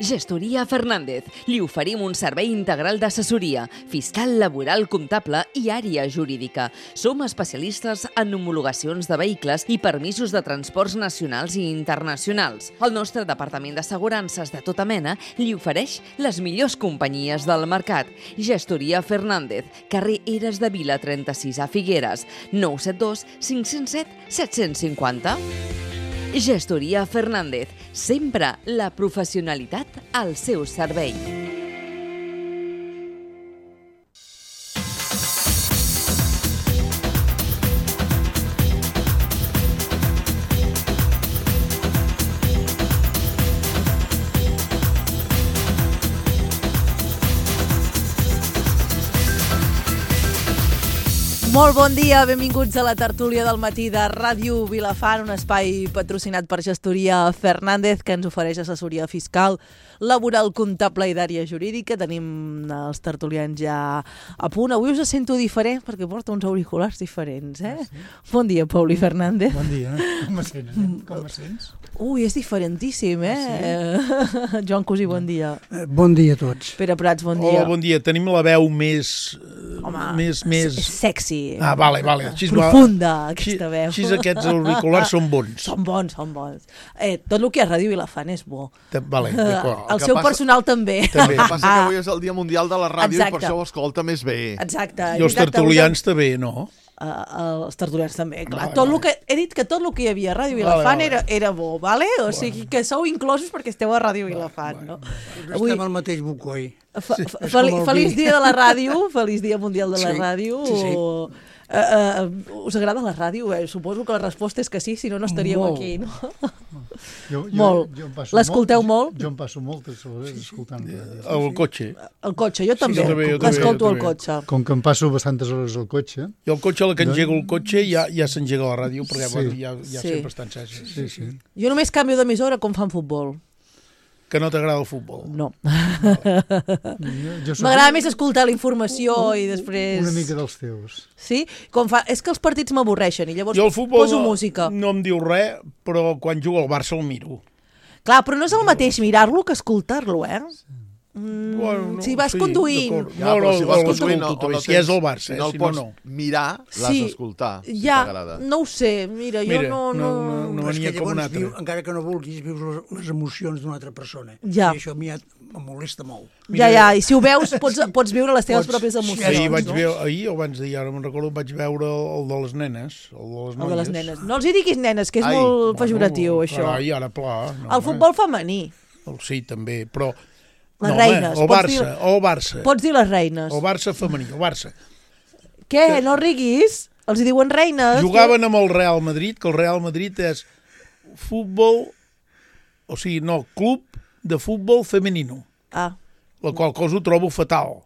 Gestoria Fernández. Li oferim un servei integral d'assessoria, fiscal, laboral, comptable i àrea jurídica. Som especialistes en homologacions de vehicles i permisos de transports nacionals i internacionals. El nostre departament d'assegurances de tota mena li ofereix les millors companyies del mercat. Gestoria Fernández, carrer Eres de Vila 36 a Figueres, 972 507 750. Gestoria Fernández, sempre la professionalitat al seu servei. Molt bon dia, benvinguts a la tertúlia del matí de Ràdio Vilafant, un espai patrocinat per Gestoria Fernández que ens ofereix assessoria fiscal, laboral, comptable i d'àrea jurídica. Tenim els tertulians ja a punt. Avui us sento diferent perquè porta uns auriculars diferents, eh? Sí. Bon dia, Pauli Fernández. Bon dia, com me sents? Com me sents? Ui, és diferentíssim, eh? Sí. Joan Cosí, bon dia. Bon dia a tots. Pere Prats, bon dia. Hola, bon dia. Tenim la veu més... És sexy. Ah, vale. Profunda, aquesta veu. Així aquests auriculars són bons. Són bons. Tot el que és Ràdio Vilafant és bo. Vale, d'acord. El seu personal també. El que passa que avui és el Dia Mundial de la Ràdio. Exacte. I per això ho escolta més bé. Exacte. I els tertulians també, no? Els tertulians també, clar. Vale. He dit que tot el que hi havia a Ràdio Vilafant Vale. era bo, vale? O sigui que sou inclosos perquè esteu a Ràdio Vilafant, no? Avui estem al mateix bocoi. Feliç dia de la ràdio, feliç dia mundial de la ràdio. Sí. Us agrada la ràdio? Suposo que la resposta és que sí, si no, no estaríeu Molt. aquí, no? Molt. L'escolteu molt? Jo em passo moltes hores escoltant ràdio. El cotxe. El cotxe, jo també. jo també, L'escolto jo al també. cotxe. Com que em passo bastantes hores al cotxe. Jo el cotxe, a la que engego el cotxe, ja s'engega la ràdio, perquè Sí. ja Sí. sempre està encesa. Sí. Jo només canvio d'emissora com fan futbol. Que no t'agrada el futbol. No. Jo soc M'agrada més escoltar la informació i després... una mica dels teus. Sí? És que els partits m'avorreixen i llavors Jo el futbol poso música. no em diu res, però quan jugo al Barça el miro. Clar, però no és el mateix mirar-lo que escoltar-lo, eh? Bueno, Si vas conduint... d'acord. Ja, però si vas conduint, l'escolto o no també. Si és el Barça, si no el si pots no, no. mirar, l'has d'escoltar, si ja, t'agrada. no ho sé, mira, jo Mira, no... no Però és venia que com un llavors, altre. encara que no vulguis, vius les emocions d'una altra persona. Ja. I això a mi em molesta molt. Ja, i si ho veus, pots viure les teves pròpies emocions. Ahir o abans d'ahir, ara me'n recordo, vaig veure el de les nenes, el de les noies. El de les nenes. No els hi diguis nenes, que és Ai, molt pejoratiu, això. Carai, ara pla. No, El futbol femení, Sí, també, però... les reines. El Barça. Pots dir les reines. El Barça femení, el Barça. Què? No riguis? Els hi diuen reines. Jugaven amb el Real Madrid, que el Real Madrid és futbol, o sigui, no, club de futbol femenino, Ah, la qual cosa ho trobo fatal,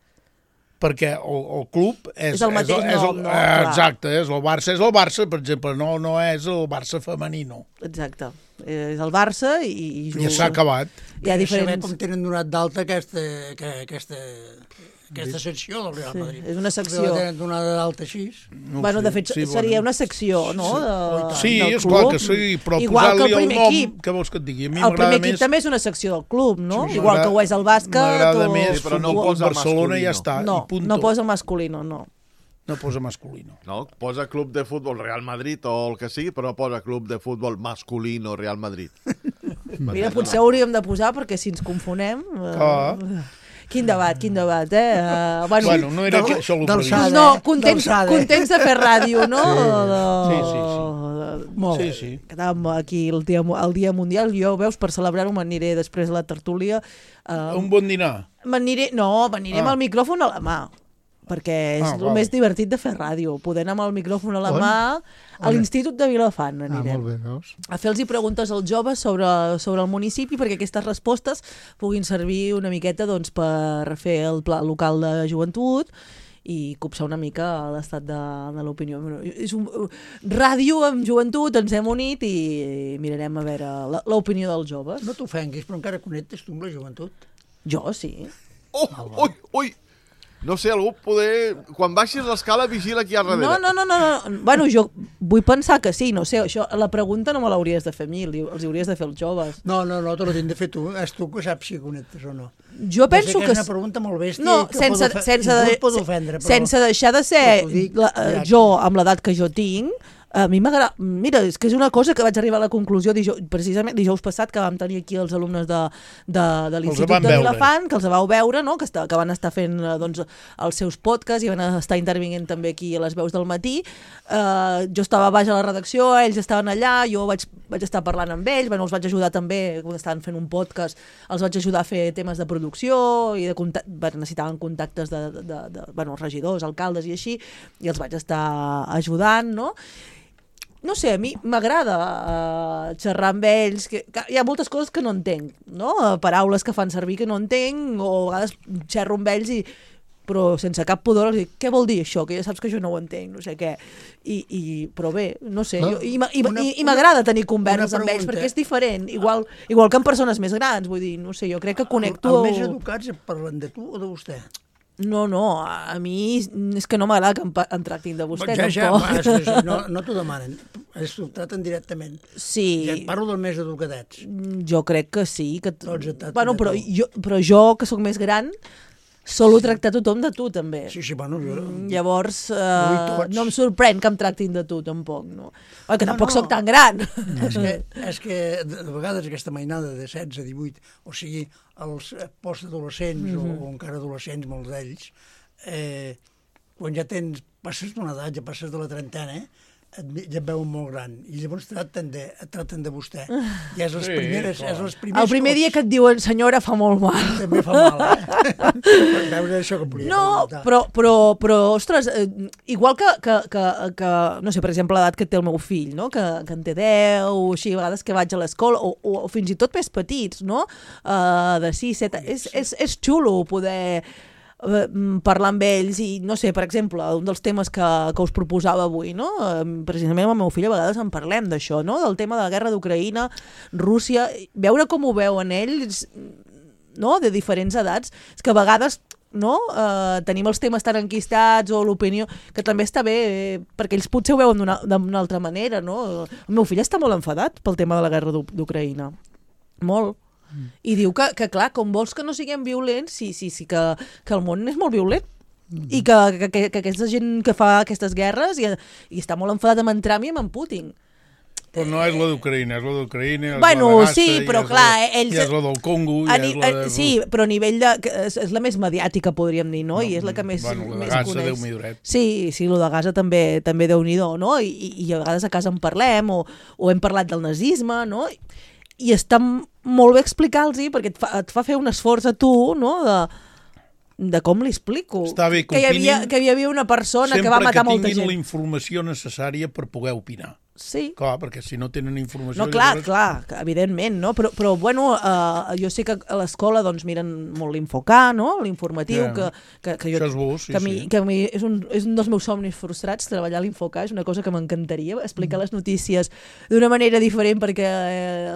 perquè el club és el mateix nom, no? Clar. Exacte, és el Barça, per exemple, no és el Barça femenino. exacte. És el Barça i Ja s'ha acabat. Hi ha Saber diferents... com tenen donat d'alta aquesta secció del Real Madrid. és una secció. La tenen donada d'alta així. No ho Bueno, sé. de fet, Sí, seria bueno. una secció, no? Sí, del és clar club. que sí, però Igual que posar-li el el primer nom, equip. què vols que et digui? A mi El m'agrada primer equip més... també és una secció del club, no? Sí, Igual que ho és el bàsquet M'agrada o... més però no futbol posa Barcelona i ja masculino. està, No, i punto. no posa masculino, no. No posa masculino. No? Posa club de futbol Real Madrid o el que sigui, però no posa club de futbol masculino Real Madrid. Mira, potser hauríem de posar perquè si ens confonem... Ah. Quin debat, eh? Bueno, no era això el previst. d'alçada. No, contents de fer ràdio, no? Sí. Molt. Sí. Quedàvem aquí el dia mundial. Jo, veus, per celebrar-ho m'aniré després a la tertúlia. Un bon dinar. M'aniré amb el micròfon a la mà, perquè és el val. més divertit de fer ràdio, poder anar amb el micròfon a la mà a l'Institut de Vilafant anirem. Molt bé, veus? A fer-los preguntes als joves sobre el municipi perquè aquestes respostes puguin servir una miqueta doncs, per fer el pla local de joventut i copsar una mica l'estat de l'opinió. És ràdio amb joventut, ens hem unit i mirarem a veure l'opinió dels joves. No t'ofenguis, però encara connectes tu amb la joventut. Jo, sí. Ui! No sé, algú poder... Quan baixis l'escala, vigila qui hi ha darrere. No. Bueno, jo vull pensar que sí, no sé, això, la pregunta no me l'hauries de fer a mi, els hauries de fer els joves. No, te l'has de fer tu. És tu que saps si connectes o no. Jo penso que... És una pregunta molt bèstia no, que pot ofendre. Sense deixar de ser jo, amb l'edat que jo tinc, a mi m'agrada... Mira, és que és una cosa que vaig arribar a la conclusió precisament dijous passat, que vam tenir aquí els alumnes de l'Institut de Vilafant, que els vau veure, no? que van estar fent doncs, els seus podcasts i van estar intervinguent també aquí a les veus del matí. Jo estava baix a la redacció, ells estaven allà, jo vaig estar parlant amb ells, els vaig ajudar també, quan estaven fent un podcast, els vaig ajudar a fer temes de producció, i necessitaven contactes de regidors, alcaldes i així, i els vaig estar ajudant, no? No sé, a mi m'agrada xerrar amb ells, que hi ha moltes coses que no entenc, no? Paraules que fan servir que no entenc, o a vegades xerro amb ells però sense cap pudor els dic, què vol dir això? Que ja saps que jo no ho entenc, no sé què. Però bé, no sé, i m'agrada tenir converses amb ells, perquè és diferent, igual que amb persones més grans, vull dir, no sé, jo crec que connecto... Els més educats parlen de tu o de vostè? No, a mi és que no m'agrada que em tractin de vostè, tampoc. No t'ho demanen, t'ho traten directament. Sí. Ja et parlo dels més educadets. Jo crec que sí. Bueno, però jo, que sóc més gran, solo tractar tothom de tu, també. Sí, bueno... Llavors, no em sorprèn que em tractin de tu, tampoc. No? Que tampoc sóc tan gran. És que de vegades aquesta mainada de 16, 18, o sigui, els postadolescents o encara adolescents, molts d'ells, quan ja passes d'una edat, ja passes de la trentena, ja et veuen molt gran, i llavors tracten de vostè. I és les primeres... El primer dia que et diuen senyora fa molt mal. També fa mal, Veus això que volia comentar. Però, ostres, igual que, no sé, per exemple, l'edat que té el meu fill, no? que en té 10, o així, a vegades que vaig a l'escola, o fins i tot més petits, no? De 6, 7... És xulo poder... parlar amb ells i, no sé, per exemple, un dels temes que us proposava avui, no? Precisament amb el meu fill a vegades en parlem d'això, no? Del tema de la guerra d'Ucraïna, Rússia, veure com ho veuen ells, no? De diferents edats, és que a vegades tenim els temes tan enquistats o l'opinió, que també està bé perquè ells potser ho veuen d'una altra manera, no? El meu fill està molt enfadat pel tema de la guerra d'Ucraïna, molt. I diu que clar, com vols que no siguem violents, sí, que el món és molt violent i que aquesta gent que fa aquestes guerres i està molt enfadat amb en Trump i amb en Putin. Però no és la d'Ucraïna, és la d'Ucraïna, bueno, la de Gaza, sí, però clar, ells... I és la del Congo, sí, però a nivell de... És la més mediàtica, podríem dir, no? I és la que més coneix. Bueno, la de Gaza, Déu m'hi duret. Sí, la de Gaza també Déu-n'hi-do, no? I a vegades a casa en parlem, o hem parlat del nazisme, no? I està molt bé explicar-los, perquè et fa fer un esforç a tu, no?, de com li explico. Està bé que hi havia una persona que va matar molta gent. Sempre que tinguin la informació necessària per poder opinar. Sí. Clar, perquè si no tenen informació... No, clar, evidentment, no? Però bueno, jo sé que a l'escola doncs miren molt l'Infocà, no? L'informatiu, que jo... Això és bo, sí. Que a mi és un dels meus somnis frustrats, treballar a l'Infocà, és una cosa que m'encantaria, explicar les notícies d'una manera diferent perquè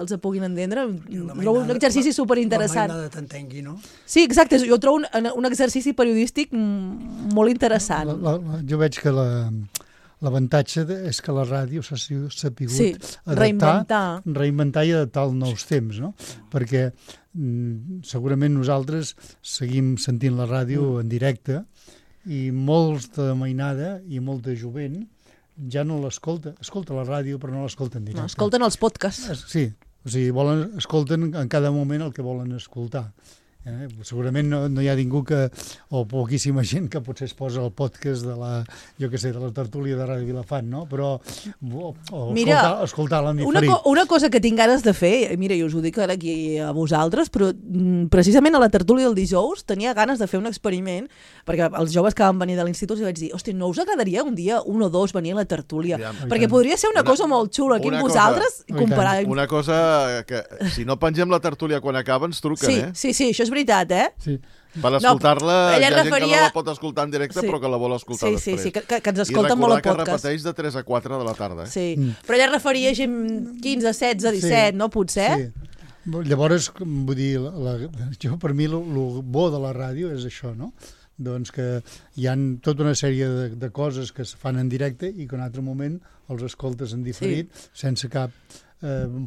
els puguin entendre. Trobo un exercici superinteressant. La mainada t'entengui, no? Sí, exacte, jo trobo un exercici periodístic molt interessant. Jo veig que l'avantatge és que la ràdio s'ha sapigut reinventar i adaptar als nous temps, no? Perquè segurament nosaltres seguim sentint la ràdio en directe i molts de mainada i molta jovent ja no l'escolta. Escolta la ràdio però no l'escolta en directe. No, escolten els podcasts. Sí, o sigui, escolten en cada moment el que volen escoltar. Segurament no hi ha ningú o poquíssima gent que potser es posa el podcast de la tertúlia de Ràdio Vilafant, no? Però escoltar-la en diferit. Una cosa que tinc ganes de fer, mira, jo us ho dic ara aquí a vosaltres, però precisament a la tertúlia del dijous tenia ganes de fer un experiment, perquè els joves que van venir de l'institut els vaig dir, hòstia, no us agradaria un dia, un o dos, venir a la tertúlia? Perquè podria ser una cosa molt xula aquí amb vosaltres. Una cosa que, si no pengem la tertúlia quan acaba, ens truquen, Sí, això és veritat, Sí. Per escoltar-la, hi ha gent que no la pot escoltar en directe, però que la vol escoltar després. Sí, que ens escolten molt al podcast. I recordar que repeteix de 3 a 4 de la tarda. Sí, però ella referia a gent 15, 16, 17, no? Potser? Sí. Llavors, vull dir, per mi el bo de la ràdio és això, no? doncs que hi ha tota una sèrie de coses que es fan en directe i que en un altre moment els escoltes en diferit sense cap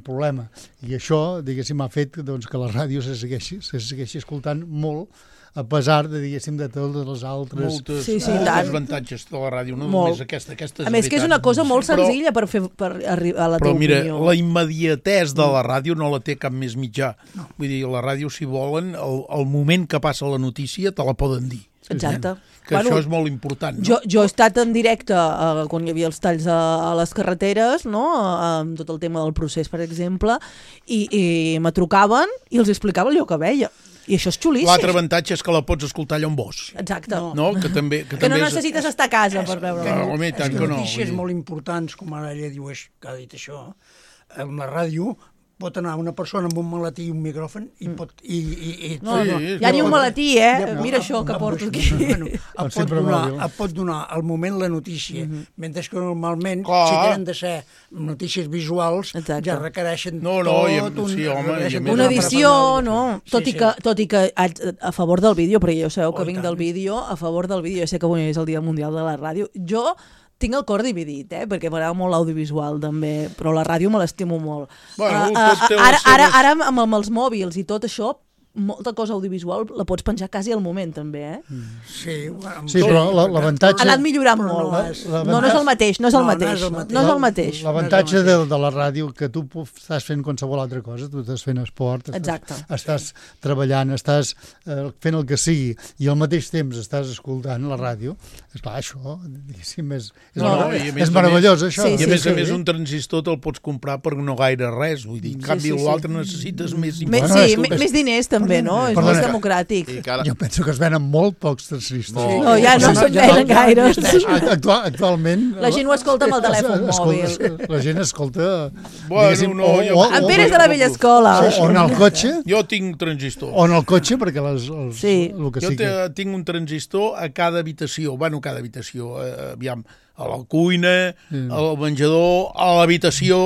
problema. I això, diguéssim, ha fet doncs, que la ràdio se segueixi escoltant molt, a pesar de, diguéssim, de totes les altres... Moltes avantatges de la ràdio, no només aquesta és a més, que és una cosa molt senzilla per arribar a la teva opinió. Però mira, la immediatesa de la ràdio no la té cap més mitjà. Vull dir, la ràdio, si volen, el moment que passa la notícia te la poden dir. Exacte. Que això és molt important. No? Jo he estat en directe quan hi havia els talls a les carreteres, no? Amb tot el tema del procés, per exemple, i me trucaven i els explicava allò que veia. I això és xulíssim. L'altre avantatge és que la pots escoltar allà on vols. Exacte. No? Que no necessites estar a casa per veure-la. Notícies molt importants, com ara ella diu que ha dit això, en la ràdio pot anar una persona amb un maletí i un micròfon i pot... Ja ni un maletí, Mira això que porto aquí. Et pot donar al moment la notícia, mentre que normalment, si tenen de ser notícies visuals, ja requereixen una edició, no? Tot i que a favor del vídeo, perquè jo sabeu que vinc del vídeo, a favor del vídeo, jo sé que avui és el Dia Mundial de la Ràdio, jo tinc el cor dividit, perquè m'agrada molt l'audiovisual també, però la ràdio me l'estimo molt. Ara amb els mòbils i tot això, molta cosa audiovisual la pots penjar quasi al moment també, Sí, però l'avantatge... Ha anat millorant molt. No és el mateix, no és el mateix. L'avantatge de la ràdio que tu estàs fent qualsevol altra cosa, tu estàs fent esport, estàs treballant, estàs fent el que sigui i al mateix temps estàs escoltant la ràdio, esclar, això, diguéssim, és meravellós, això. I a més un transistor te'l pots comprar per no gaire res, vull dir, en canvi l'altre necessites més més diners també, no? És més democràtic. Jo penso que es venen molt pocs transistors. No, ja no se'n venen gaire. Actualment... La gent ho escolta amb el telèfon mòbil. La gent escolta... En Pere és de la vella escola. O en el cotxe. Jo tinc transistor. O en el cotxe, perquè jo tinc un transistor a cada habitació. Bueno, cada habitació. Aviam, a la cuina, al menjador, a l'habitació...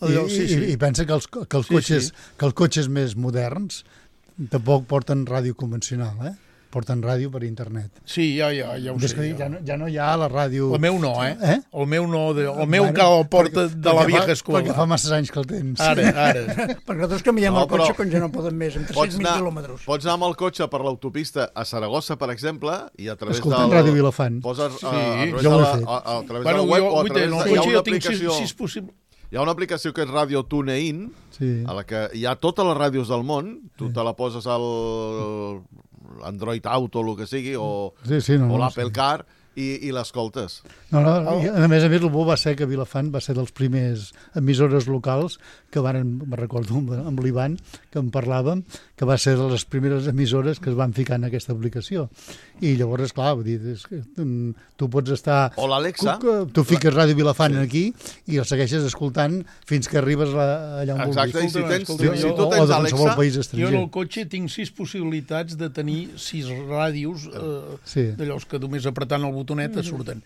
I pensa que els cotxes més moderns tampoc porten ràdio convencional, porten ràdio per internet. Sí, ja ho sé. Ja no hi ha la ràdio... El meu no, El meu no, el meu que el porta de la vieja escola. Perquè fa massa anys que el tens. Ara. Perquè nosaltres canviem el cotxe quan ja no poden més, amb 300.000 quilòmetres. Pots anar amb el cotxe per l'autopista a Saragossa, per exemple, i a través escoltant Ràdio Vilafant. Poses jo ho he fet. A través de la web o a través de... Hi ha una aplicació... Si és possible... Hi ha una aplicació que és Radio TuneIn, a la que hi ha totes les ràdios del món, tu te la poses al Android Auto, o el que sigui, o l'Apple Car, i l'escoltes. A més, el bo va ser que Vilafant va ser dels primers emissores locals que me'n recordo amb l'Ivan, que en parlàvem, que va ser de les primeres emissores que es van ficar en aquesta aplicació. I llavors, esclar, vull dir, tu pots estar... O l'Alexa. Tu fiques Ràdio Vilafant aquí i el segueixes escoltant fins que arribes allà on vulguis. Exacte, i si tu tens Alexa... Jo en el cotxe tinc 6 possibilitats de tenir 6 ràdios d'allòs que només apretant el botonet et surten.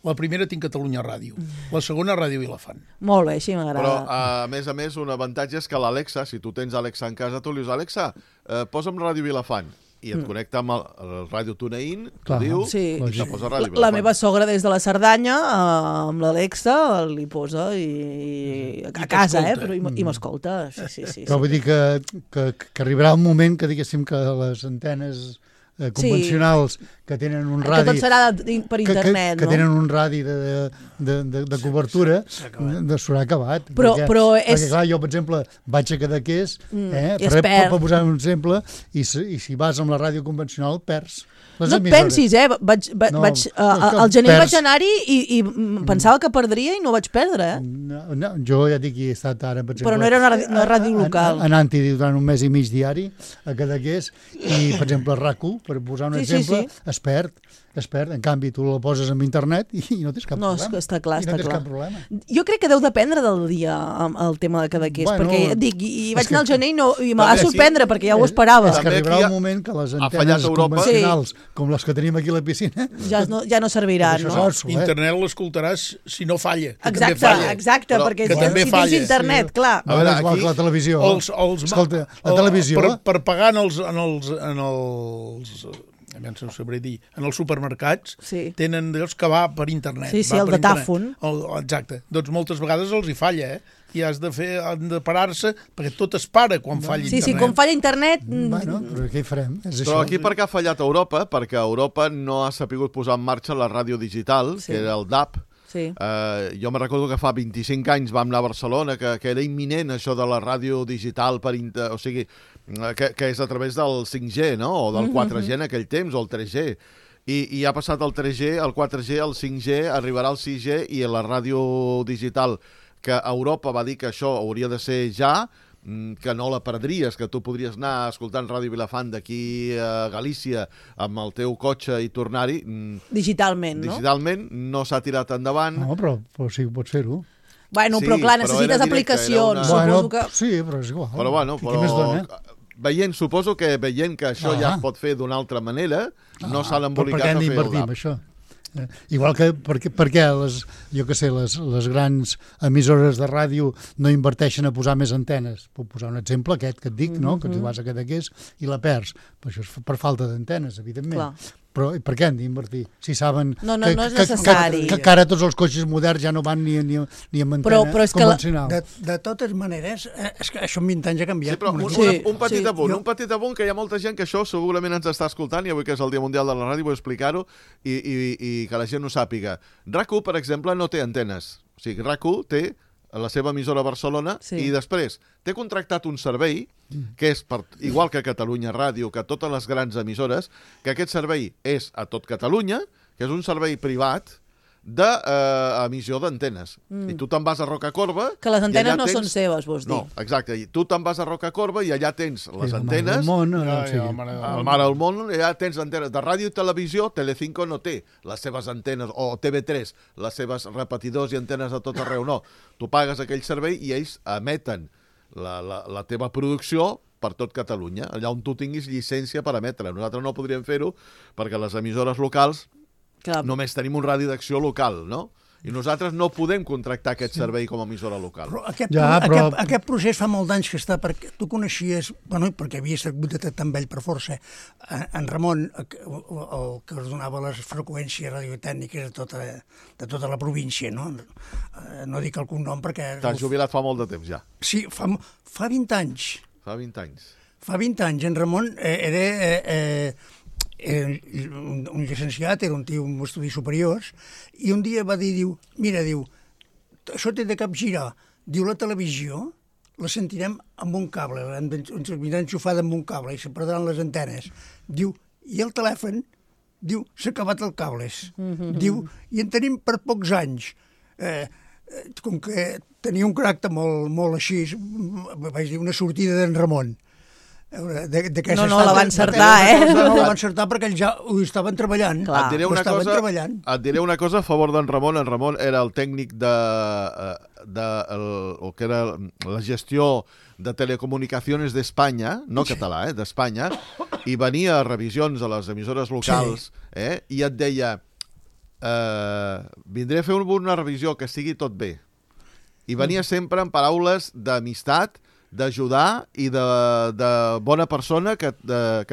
La primera tinc Catalunya Ràdio, la segona Ràdio Vilafant. Molt bé, així m'agrada. Però, a més, un avantatge és que l'Alexa, si tu tens Alexa en casa, tu li dius, Alexa, posa'm Ràdio Vilafant. I et connecta amb el Ràdio TuneIn, t'ho diu, i te posa Ràdio Vilafant. La meva sogra des de la Cerdanya, amb l'Alexa, li posa a casa, però i m'escolta. Sí. Però vull dir que arribarà un moment que diguéssim que les antenes convencionals que tenen un radi... Que tot serà per internet, que tenen un radi de cobertura, s'haurà acabat. Perquè, clar, jo, per exemple, vaig a Cadaqués, per posar un exemple, i si vas amb la ràdio convencional, perds. No et pensis, al gener vaig anar-hi i pensava que perdria i no vaig perdre, No, jo ja dic que he estat ara, per exemple... Però no era una ràdio local. Anant-hi durant un mes i mig diari a Cadaqués i, per exemple, RAC1, per posar un exemple, es perd. En canvi, tu la poses en internet i no tens cap problema. No, està clar, està clar. Jo crec que deu dependre del dia el tema de Cadaqués, perquè dic, i vaig anar al gener i me va sorprendre, perquè ja ho esperava. És que arribarà un moment que les antenes convencionals, com les que tenim aquí a la piscina, ja no serviran, no? Internet l'escoltaràs si no falla. Exacte, perquè si tens internet, clar. A veure, aquí la televisió. Escolta, la televisió... Per pagar no sabré dir, en els supermercats tenen d'ells que va per internet. Sí, el datàfon. Exacte. Doncs moltes vegades els hi falla, i han de parar-se, perquè tot es para quan falla internet. Sí, quan falla internet... Bueno, però què hi farem? Però aquí per què ha fallat Europa? Perquè Europa no ha sapigut posar en marxa la ràdio digital, que era el DAB. Jo me recordo que fa 25 anys vam anar a Barcelona, que era imminent això de la ràdio digital, o sigui, que és a través del 5G, no? O del 4G en aquell temps, o el 3G. I ha passat el 3G, el 4G, el 5G, arribarà el 6G, i la ràdio digital, que Europa va dir que això hauria de ser ja, que no la perdries, que tu podries anar escoltant Ràdio Vilafant d'aquí a Galícia amb el teu cotxe i tornar-hi. Digitalment, no? Digitalment, no s'ha tirat endavant. No, però sí que pots fer-ho. Bueno, però clar, necessites aplicacions. Sí, però és igual. Però bueno, suposo que veient que això ja es pot fer d'una altra manera, no s'han embolicat a fer el DAB. Això? Igual que perquè les grans emissores de ràdio no inverteixen a posar més antenes. Puc posar un exemple, aquest que et dic, no? Que tu vas a Cadaqués i la perds. Però això és per falta d'antenes, evidentment. Clar. Però per què han d'invertir? Si saben no és necessari. Que ara tots els cotxes moderns ja no van ni amb antena convencional. De totes maneres, és que això en 20 anys ha canviat. Sí, però un petit apunt, que hi ha molta gent que això segurament ens està escoltant, i avui que és el Dia Mundial de la Ràdio vull explicar-ho i que la gent ho sàpiga. RAC1, per exemple, no té antenes. O sigui, RAC1 té la seva emissora a Barcelona i després té contractat un servei que és, igual que Catalunya Ràdio, que totes les grans emissores, que aquest servei és a tot Catalunya, que és un servei privat d'emissió d'antenes. I tu te'n vas a Rocacorba... Que les antenes no són seves, vols dir. No, exacte. I tu te'n vas a Rocacorba i allà tens les antenes... El món, el Mare del Món, allà tens antenes de ràdio i televisió. Telecinco no té les seves antenes, o TV3, les seves repetidors i antenes a tot arreu, no. Tu pagues aquell servei i ells emeten la teva producció per tot Catalunya, allà on tu tinguis llicència per emetre. Nosaltres no podríem fer-ho perquè les emissores locals només tenim un radi d'acció local, no? I nosaltres no podem contractar aquest servei com a emissora local. Però aquest procés fa molt d'anys que està, perquè tu coneixies, bueno, perquè havies hagut de tractar amb ell per força, en Ramon, el que es donava les freqüències radiotècniques de tota la província, no? No dic el cognom perquè... T'has jubilat fa molt de temps, ja. Sí, fa 20 anys. Fa 20 anys. Fa 20 anys. En Ramon era un llicenciat, era un tio amb estudis superiors, i un dia va dir, mira, això té de capgirar. Diu, la televisió la sentirem amb un cable, ens anirà enxufada amb un cable i se perdran les antenes. Diu, i el telèfon, diu, s'ha acabat el cables. Diu, i en tenim per pocs anys. Com que tenia un caràcter molt així, vaig dir, una sortida d'en Ramon. No, la va encertar, No la va encertar perquè ells ja ho estaven treballant. Et diré una cosa a favor d'en Ramon. En Ramon era el tècnic el que era la gestió de telecomunicacions d'Espanya, no català, d'Espanya, i venia a revisions a les emissores locals i et deia vindré a fer una revisió que sigui tot bé. I venia sempre amb paraules d'amistat, d'ajudar i de bona persona que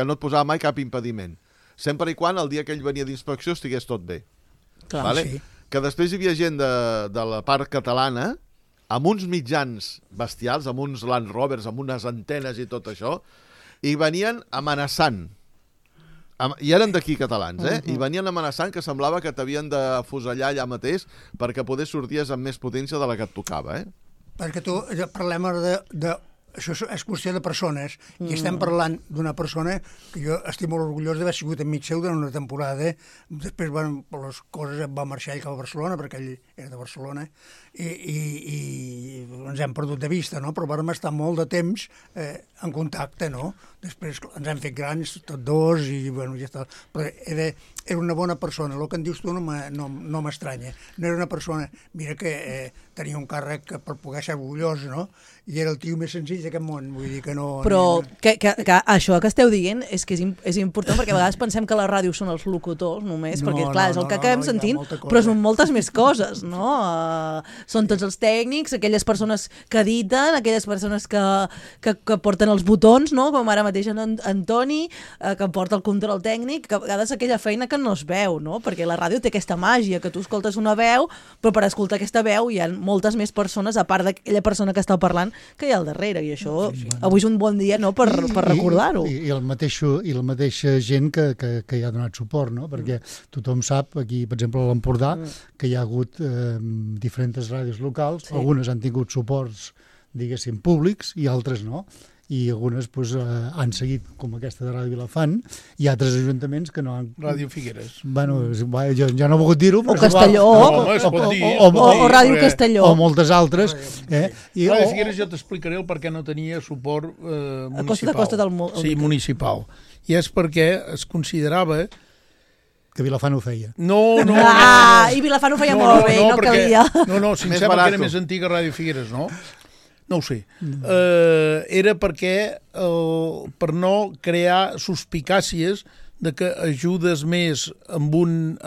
no et posava mai cap impediment. Sempre i quan el dia que ell venia d'inspecció estigués tot bé. Clar, vale? Sí. Que després hi havia gent de la part catalana amb uns mitjans bestials, amb uns Land Rovers, amb unes antenes i tot això, i venien amenaçant. I eren d'aquí catalans, i venien amenaçant que semblava que t'havien de fusellar allà mateix perquè poder sorties amb més potència de la que et tocava, Perquè tu parlem de això és qüestió de persones, i estem parlant d'una persona que jo estic molt orgullós d'haver sigut amic seu durant una temporada. Després, per les coses, va marxar ell cap a Barcelona, perquè ell era de Barcelona, i ens hem perdut de vista, no? Però vam estar molt de temps en contacte, no? Després ens hem fet grans, tots dos, i bueno, ja està. Però era una bona persona. El que en dius tu no m'estranya. No era una persona, mira que tenia un càrrec per poder ser orgullós, no? I era el tio més senzill mig d'aquest món, vull dir que no... Però que això que esteu dient és que és important, perquè a vegades pensem que la ràdio són els locutors només, perquè clar, és el que acabem sentint, però són moltes més coses, no? Són tots els tècnics, aquelles persones que editen, aquelles persones que porten els botons, no? Com ara mateix en Toni, que porta el control tècnic, que a vegades aquella feina que no es veu, no? Perquè la ràdio té aquesta màgia, que tu escoltes una veu, però per escoltar aquesta veu hi ha moltes més persones, a part d'aquella persona que està parlant, que hi ha al darrere, i això avui és un bon dia, no?, per recordar-ho. I la mateixa gent que hi ha donat suport, no? Perquè tothom sap, aquí, per exemple, a l'Empordà, que hi ha hagut diferents ràdios locals, algunes han tingut suports, diguéssim, públics, i altres no. I algunes han seguit, com aquesta de Ràdio Vilafant, i altres ajuntaments que no han... Ràdio Figueres. Bueno, jo no he volgut dir-ho, però... O Castelló. O Ràdio Castelló. O moltes altres. Ràdio Figueres jo t'explicaré el per què no tenia suport municipal. A Costa del Sí, municipal. I és perquè es considerava... Que Vilafant ho feia. No. I Vilafant ho feia molt bé, no calia. No, si em sembla que era més antiga Ràdio Figueres, no? No ho sé. Era perquè, per no crear suspicàcies de que ajudes més amb un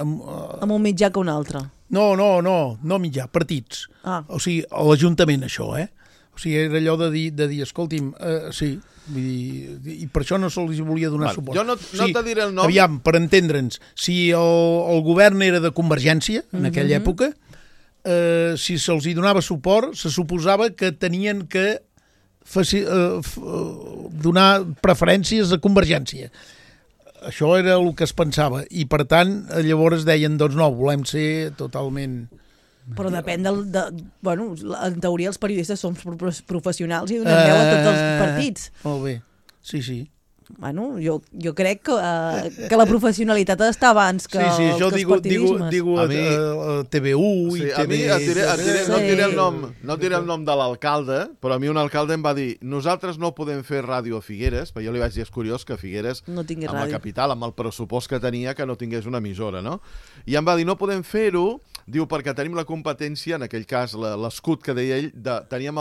mitjà que un altre. No mitjà, partits. O sigui, a l'Ajuntament, això, O sigui, era allò de dir escolti'm, sí, vull dir, i per això no se'ls volia donar suport. Jo no te diré el nom. Aviam, per entendre'ns, si el govern era de Convergència, en aquella època, si se'ls hi donava suport, se suposava que tenien que donar preferències a Convergència. Això era el que es pensava. I, per tant, llavors deien, doncs no, volem ser totalment... Però depèn bueno, en teoria els periodistes som professionals i donem veu a tots els partits. Molt bé, sí. Bueno, jo crec que la professionalitat ha d'estar abans que els partidismes. Digo a TV1 i TV... No diré el nom de l'alcalde, però a mi un alcalde em va dir nosaltres no podem fer ràdio a Figueres, perquè jo li vaig dir, és curiós que Figueres, amb la capital, amb el pressupost que tenia, que no tingués una emissora, no? I em va dir, no podem fer-ho, diu, perquè tenim la competència, en aquell cas l'escut que deia ell, teníem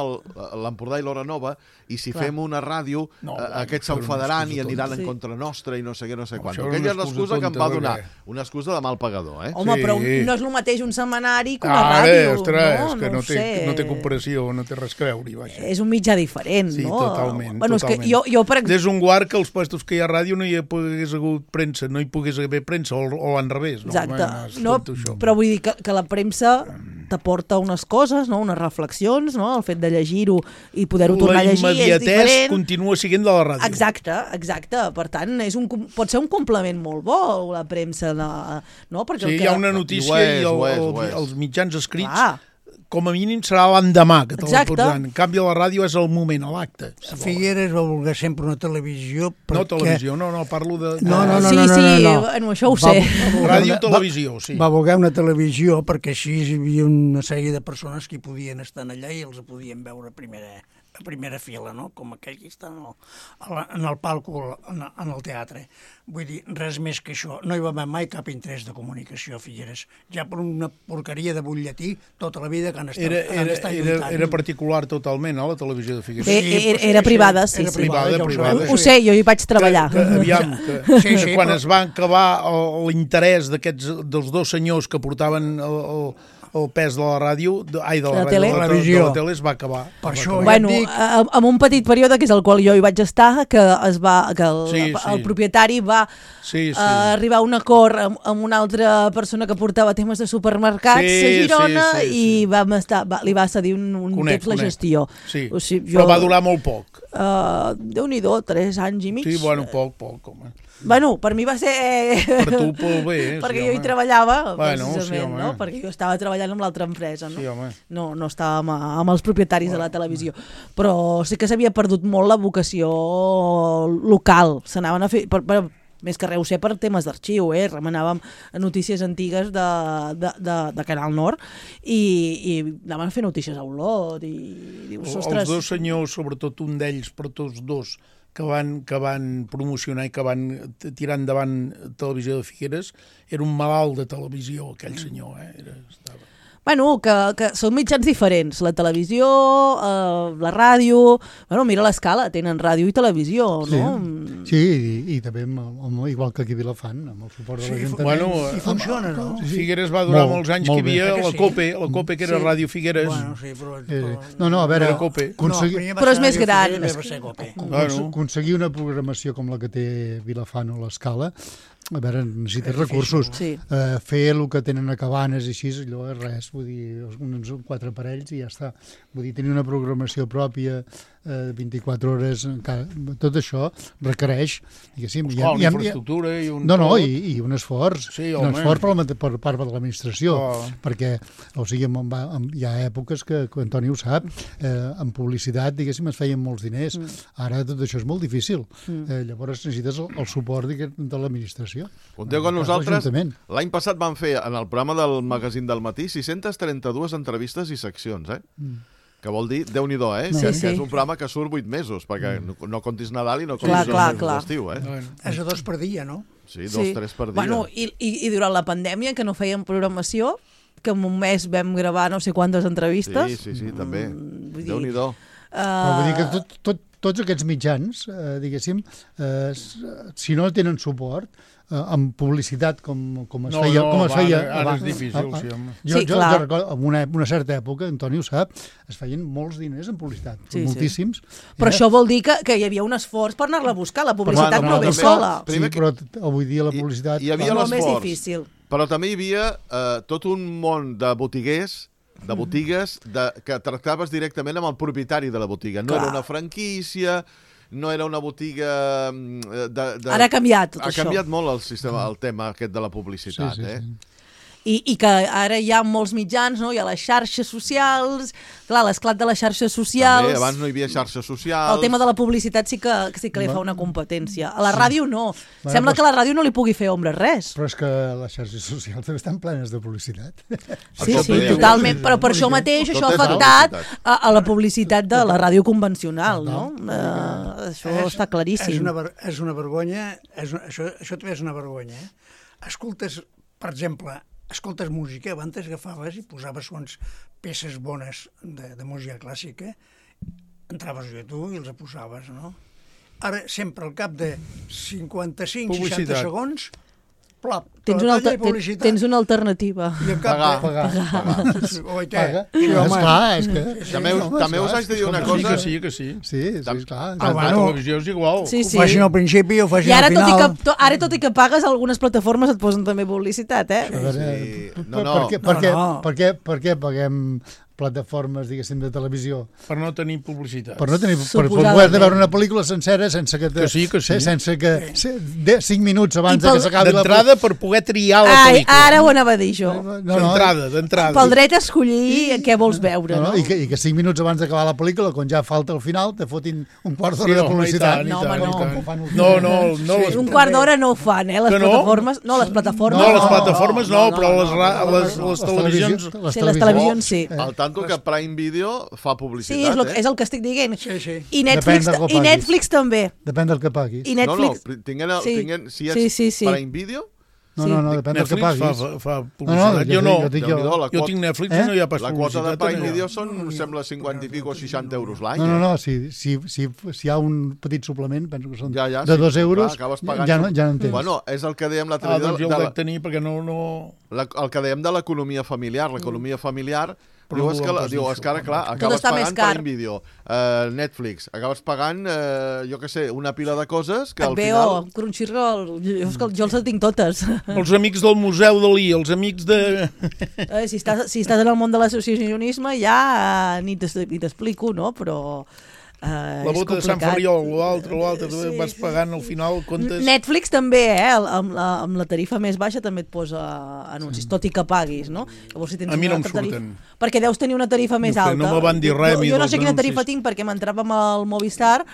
l'Empordà i l'Hora Nova, i si fem una ràdio, aquests s'enfadaran i aniran en contra nostra i no sé què, no sé quant. Aquella és l'excusa que em va donar. Una excusa de mal pagador, Home, però no és el mateix un setmanari que una ràdio. Ostres, que no té comparació, no té res a creure. És un mitjà diferent, no? Sí, totalment. Bueno, és que jo, per exemple... Des un guard que els puestos que hi ha ràdio no hi pogués hagut premsa, no hi pogués haver premsa, o a l'enrevés. Exacte. Però vull dir que la premsa t'aporta unes coses, unes reflexions, el fet de llegir-ho i poder-ho tornar a llegir és diferent. La immediatesa continua sent de la ràdio. Exacte. Per tant, pot ser un complement molt bo, la premsa. Perquè sí, hi ha una notícia i els mitjans escrits com a mínim serà l'endemà que te la pots dar. En canvi, a la ràdio és el moment, a l'acte. Figueres va voler sempre una televisió perquè... No televisió, no, parlo de... No. Això ho sé. Ràdio-televisió, sí. Va voler una televisió perquè així hi havia una sèrie de persones que hi podien estar allà i els podien veure a primera fila, no? Com aquell que està en el palco, en el teatre. Vull dir, res més que això. No hi va haver mai cap interès de comunicació a Figueres. Ja per una porqueria de butlletí tota la vida que han estat lluitant. Era particular totalment, la televisió de Figueres. Era privada, sí. Era privada. Ho sé, jo hi vaig treballar. Que quan es va acabar l'interès dels dos senyors que portaven el pes de la ràdio, de la tele es va acabar. Per això bueno, en un petit període, que és el qual jo hi vaig estar, que el propietari va arribar a un acord amb una altra persona que portava temes de supermercats a Girona i li va cedir un temps la gestió. Però va durar molt poc. Déu-n'hi-do, 3 anys i mig. Sí, bueno, poc, home. Bueno, per mi va ser... Per tu, molt bé. Perquè jo hi treballava, precisament, no? Perquè jo estava treballant amb l'altra empresa, no? Sí, home. No estava amb els propietaris de la televisió. Però sí que s'havia perdut molt la vocació local. S'anaven a fer... Més que res ho sé per temes d'arxiu, remenàvem notícies antigues de Canal Nord i anaven a fer notícies a Olot i dius, ostres... Els dos senyors, sobretot un d'ells, però tots dos, que van promocionar i que van tirar endavant Televisió de Figueres, era un malalt de televisió, aquell senyor, estava... Bueno, que són mitjans diferents. La televisió, la ràdio... Bueno, mira l'Escala, tenen ràdio i televisió, no? Sí, i també, igual que aquí a Vilafant, amb el suport de l'Ajuntament. I funciona, no? Figueres va durar molts anys que hi havia la COPE, que era Ràdio Figueres. Bueno, sí, però... No, a veure... Però és més gran. Aconseguir una programació com la que té Vilafant o l'Escala, a veure, necessites recursos. Fer el que tenen a Cabanes i així, allò és res, vull dir, uns 4 aparells i ja està. Vull dir, tenir una programació pròpia 24 hores, tot això requereix, diguéssim... Una infraestructura i un... I un esforç. Un esforç per part de l'administració, perquè, o sigui, hi ha èpoques que Antoni ho sap, en publicitat, diguéssim, es feien molts diners. Ara tot això és molt difícil. Llavors necessites el suport de l'administració. Compteu que nosaltres, l'any passat vam fer, en el programa del Magazín del Matí, 632 entrevistes i seccions, que vol dir, Déu-n'hi-do, que és un programa que surt 8 mesos, perquè no comptis Nadal i no comptis els mesos d'estiu. És a 2 per dia, no? Sí, 2-3 per dia. Bueno, i durant la pandèmia, que no fèiem programació, que en un mes vam gravar no sé quantes entrevistes. Sí, també. Déu-n'hi-do. Però vull dir que tots aquests mitjans, diguéssim, si no tenen suport, amb publicitat com es feia... Ara és difícil, sí, home. Jo recordo, en una certa època, Antoni ho sap, es feien molts diners en publicitat, moltíssims. Però això vol dir que hi havia un esforç per anar-la a buscar, la publicitat no ve sola. Sí, però avui dia la publicitat... Hi havia l'esforç, molt més difícil. Però també hi havia tot un món de botiguers, de botigues, que tractaves directament amb el propietari de la botiga. No era una franquícia... No era una botiga... Ara ha canviat tot això. Ha canviat molt el tema aquest de la publicitat, I que ara hi ha molts mitjans, no? Hi ha les xarxes socials, clar, l'esclat de les xarxes socials... També, abans no hi havia xarxes socials... El tema de la publicitat sí que li fa una competència. A la ràdio no. Sembla que a la ràdio no li pugui fer ombra res. Però és que les xarxes socials també estan plenes de publicitat. Sí, totalment, però per això mateix això ha afectat a la publicitat de la ràdio convencional, no? Això està claríssim. És una vergonya, això també és una vergonya. Escoltes, per exemple... Escoltes música, abans agafaves i posaves unes peces bones de música clàssica, entraves a YouTube i els posaves, no? Ara, sempre al cap de 55-60 segons, plop, tens una alternativa. I al cap Paga. És que... També us haig de dir una cosa... Sí, que sí. Sí, clar. La televisió és igual. Ho facin al principi o ho facin al final. I ara, tot i que pagues, algunes plataformes et posen també publicitat, Per què paguem plataformes, diguéssim, de televisió? Per no tenir publicitat. Per poder veure una pel·lícula sencera sense que 5 minuts abans que s'acabi la pel·lícula. D'entrada per poder triar la pel·lícula. Ara ho anava a dir jo. D'entrada. Pel dret a escollir què vols veure, no? I que 5 minuts abans d'acabar la pel·lícula, quan ja falta el final, te fotin un quart d'hora de publicitat. No. Un quart d'hora no ho fan, les plataformes. No, les plataformes no, però les televisions... Les televisions sí. Al tanto que Prime Video fa publicitat, és el que estic dient. Sí. I Netflix també. Depèn del que paguis. I Netflix... Si ets Prime Video... No, depèn del que paguis. Fa publicitat. Jo no. Jo tinc Netflix i no hi ha pas publicitat. La quota de Prime Video són, sembla, 50 i pico o 60 euros l'any. No, si hi ha un petit suplement, penso que són de 2 euros, ja no en tens. Bueno, és el que dèiem l'altre dia... Doncs jo el vaig tenir perquè no... El que dèiem de l'economia familiar. L'economia familiar... Diu, és que ara, clar, acabes pagant Prime Video, Netflix, acabes pagant, jo què sé, una pila de coses que al final... Crunchyroll, jo els tinc totes. Els amics del Museu Dalí, els amics de... Si estàs en el món de l'associacionisme ja ni t'explico, no? Però... la bota de Sant Ferriol, l'altre, vas pagant al final comptes... Netflix també, amb la tarifa més baixa també et posa anuncis, tot i que paguis, no? Llavors, si tens a mi no em surten. Perquè deus tenir una tarifa més alta. No me van dir res. Jo no sé quina tarifa tinc perquè m'entrava amb el Movistar.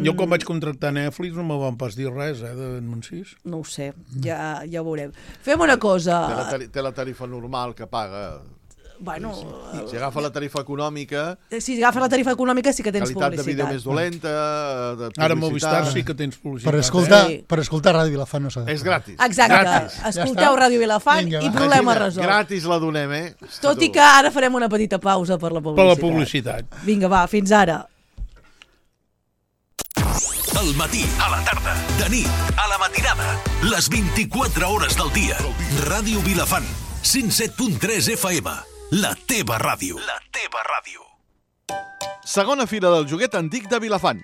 Jo quan vaig contractar Netflix no me van pas dir res, d'anuncis. No ho sé, ja ho veurem. Fem una cosa... Té la tarifa normal que paga... Bueno, si agafa la tarifa econòmica... Si agafes la tarifa econòmica sí que tens publicitat. Qualitat de vídeo més dolenta, de publicitat... Ara Movistar sí que tens publicitat. Per escoltar Ràdio Vilafant no s'ha de... És gratis. Exacte. Escolteu Ràdio Vilafant i problema resolt. Gratis la donem, Tot i que ara farem una petita pausa per la publicitat. Per la publicitat. Vinga, va, fins ara. Al matí, a la tarda, de nit, a la matinada, les 24 hores del dia. Ràdio Vilafant, 107.3 FM, la teva ràdio. La teva ràdio. Segona fira del joguet antic de Vilafant.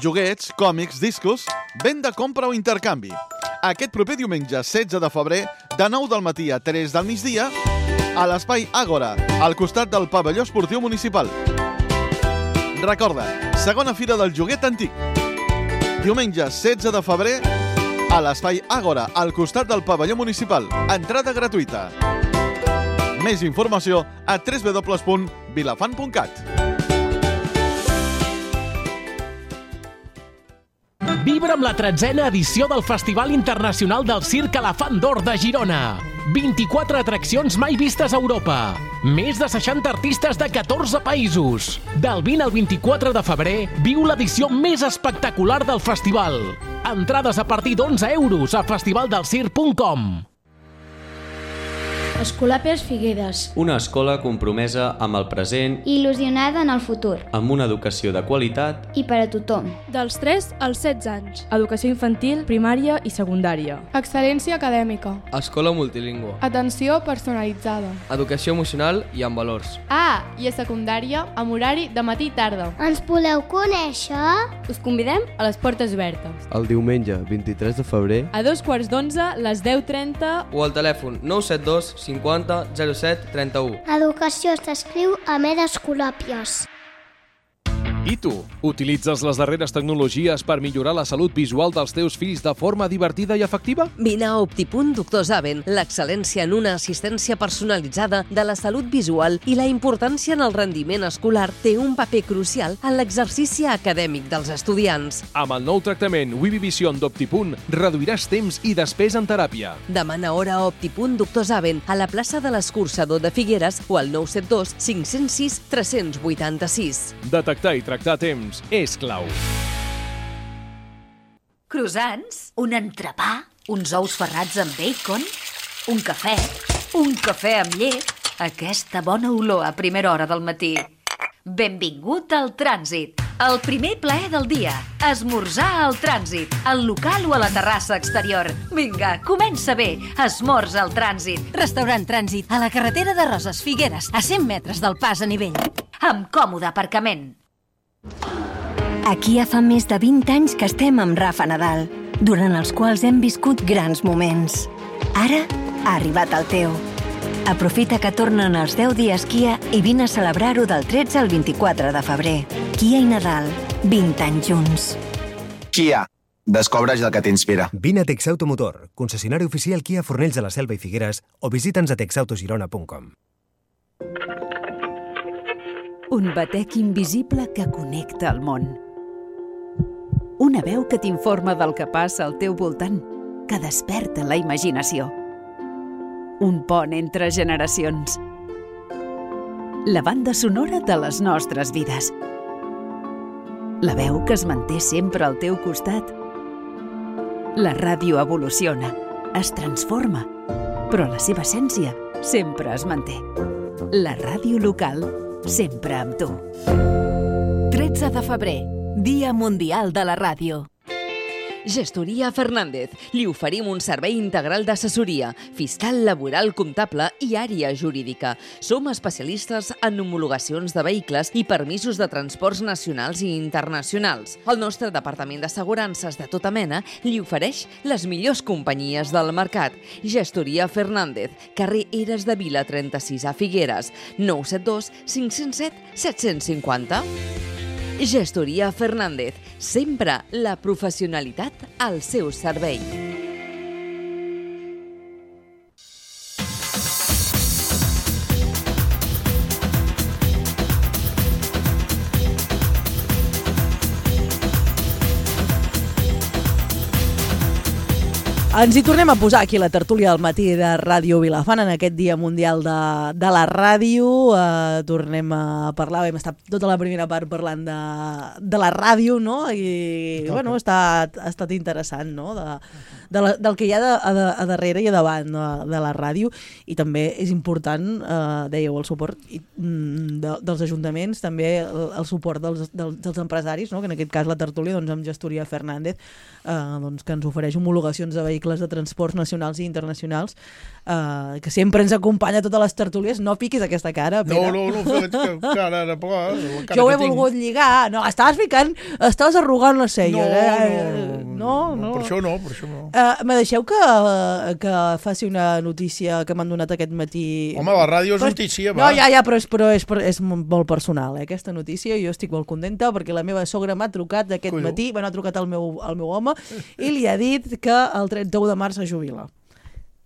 Joguets, còmics, discos, venda, compra o intercanvi. Aquest proper diumenge 16 de febrer, de 9 del matí a 3 del migdia, a l'espai Àgora, al costat del pavelló esportiu municipal. Recorda, segona fira del joguet antic. Diumenge 16 de febrer, a l'espai Àgora, al costat del pavelló municipal. Entrada gratuïta. Més informació a www.vilafant.cat. Vibra amb la 13a edició del Festival Internacional del Circ Elefant d'Or de Girona. 24 atraccions mai vistes a Europa. Més de 60 artistes de 14 països. Del 20 al 24 de febrer, viu l'edició més espectacular del festival. Entrades a partir d'11 euros a festivaldelcirc.com. Escolàpies Figueres. Una escola compromesa amb el present i il·lusionada en el futur. Amb una educació de qualitat i per a tothom. Dels 3 als 16 anys. Educació infantil, primària i secundària. Excel·lència acadèmica. Escola multilingüe. Atenció personalitzada. Educació emocional i amb valors. I a secundària, amb horari de matí i tarda. Ens voleu conèixer? Us convidem a les portes obertes. El diumenge 23 de febrer a 2:15, les 10:30 o al telèfon 972 50 07 31. Educació s'escriu a Escolàpies. I tu, utilitzes les darreres tecnologies per millorar la salut visual dels teus fills de forma divertida i efectiva? Vine a Optipunt Doctor Zaven, l'excel·lència en una assistència personalitzada de la salut visual i la importància en el rendiment escolar té un paper crucial en l'exercici acadèmic dels estudiants. Amb el nou tractament Wibi Vision d'Optipunt reduiràs temps i despesa en teràpia. Demana hora a Optipunt Doctor Zaven a la plaça de l'Escurçador de Figueres o al 972 506 386. Detectar i tractar a temps és clau. Croissants, un entrepà, uns ous ferrats amb bacon, un cafè amb llet, aquesta bona olor a primera hora del matí. Benvingut al Trànsit, el primer plaer del dia. Esmorzar al Trànsit, al local o a la terrassa exterior. Vinga, comença bé, esmorza al Trànsit. Restaurant Trànsit, a la carretera de Roses Figueres, a 100 metres del pas a nivell. Amb còmode aparcament. Aquí ja fa més de 20 anys que estem amb Rafa Nadal, durant els quals hem viscut grans moments. Ara ha arribat el teu. Aprofita que tornen els 10 dies Kia i vine a celebrar-ho del 13 al 24 de febrer. Kia i Nadal, 20 anys junts. Kia, descobreix el que t'inspira. Vine a Texautomotor, concessionari oficial Kia Fornells de la Selva i Figueres, o visita'ns a texautogirona.com. Un batec invisible que connecta el món. Una veu que t'informa del que passa al teu voltant, que desperta la imaginació. Un pont entre generacions. La banda sonora de les nostres vides. La veu que es manté sempre al teu costat. La ràdio evoluciona, es transforma, però la seva essència sempre es manté. La ràdio local, sempre amb tu. 13 de febrer, Dia Mundial de la Ràdio. Gestoria Fernández. Li oferim un servei integral d'assessoria, fiscal, laboral, comptable i àrea jurídica. Som especialistes en homologacions de vehicles i permisos de transports nacionals i internacionals. El nostre departament d'assegurances de tota mena li ofereix les millors companyies del mercat. Gestoria Fernández, carrer Eres de Vila 36 a Figueres, 972 507 750. Gestoria Fernández, sempre la professionalitat al seu servei. Ens hi tornem a posar aquí la tertúlia del matí de Ràdio Vilafant en aquest Dia Mundial de la Ràdio. Tornem a parlar, hem estat tota la primera part parlant de la ràdio, no? I bueno, ha estat interessant, no? Del que hi ha a darrere i a davant de la ràdio, i també és important, dèieu, el suport dels ajuntaments, també el suport dels empresaris, no? Que en aquest cas la tertúlia, doncs, amb Gestoria Fernández, doncs, que ens ofereix homologacions de vehicles de transports nacionals i internacionals, que sempre ens acompanya a totes les tertúlies. No piquis aquesta cara, Pere. No, faig cara de pla. Jo ho he volgut lligar. No, estaves arrugant la cella. No. Per això no. Me deixeu que faci una notícia que m'han donat aquest matí. Home, la ràdio és notícia, va. No, ja, però és molt personal, aquesta notícia. Jo estic molt contenta perquè la meva sogra m'ha trucat aquest matí, ha trucat al meu home i li ha dit que el 31 de març es jubila.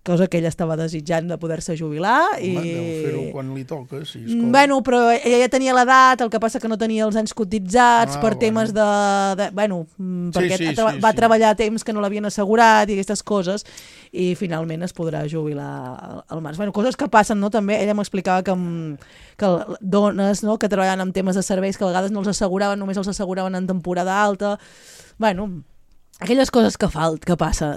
Cosa que ella estava desitjant de poder-se jubilar. Home, deu fer-ho quan li toca, sí. Bueno, però ella ja tenia l'edat, el que passa que no tenia els anys cotitzats per temes perquè va treballar a temps que no l'havien assegurat i aquestes coses, i finalment es podrà jubilar al març. Bueno, coses que passen, no? També ella m'explicava que dones, no?, que treballen amb temes de serveis que a vegades no els asseguraven, només els asseguraven en temporada alta. Bueno, aquelles coses que passaven.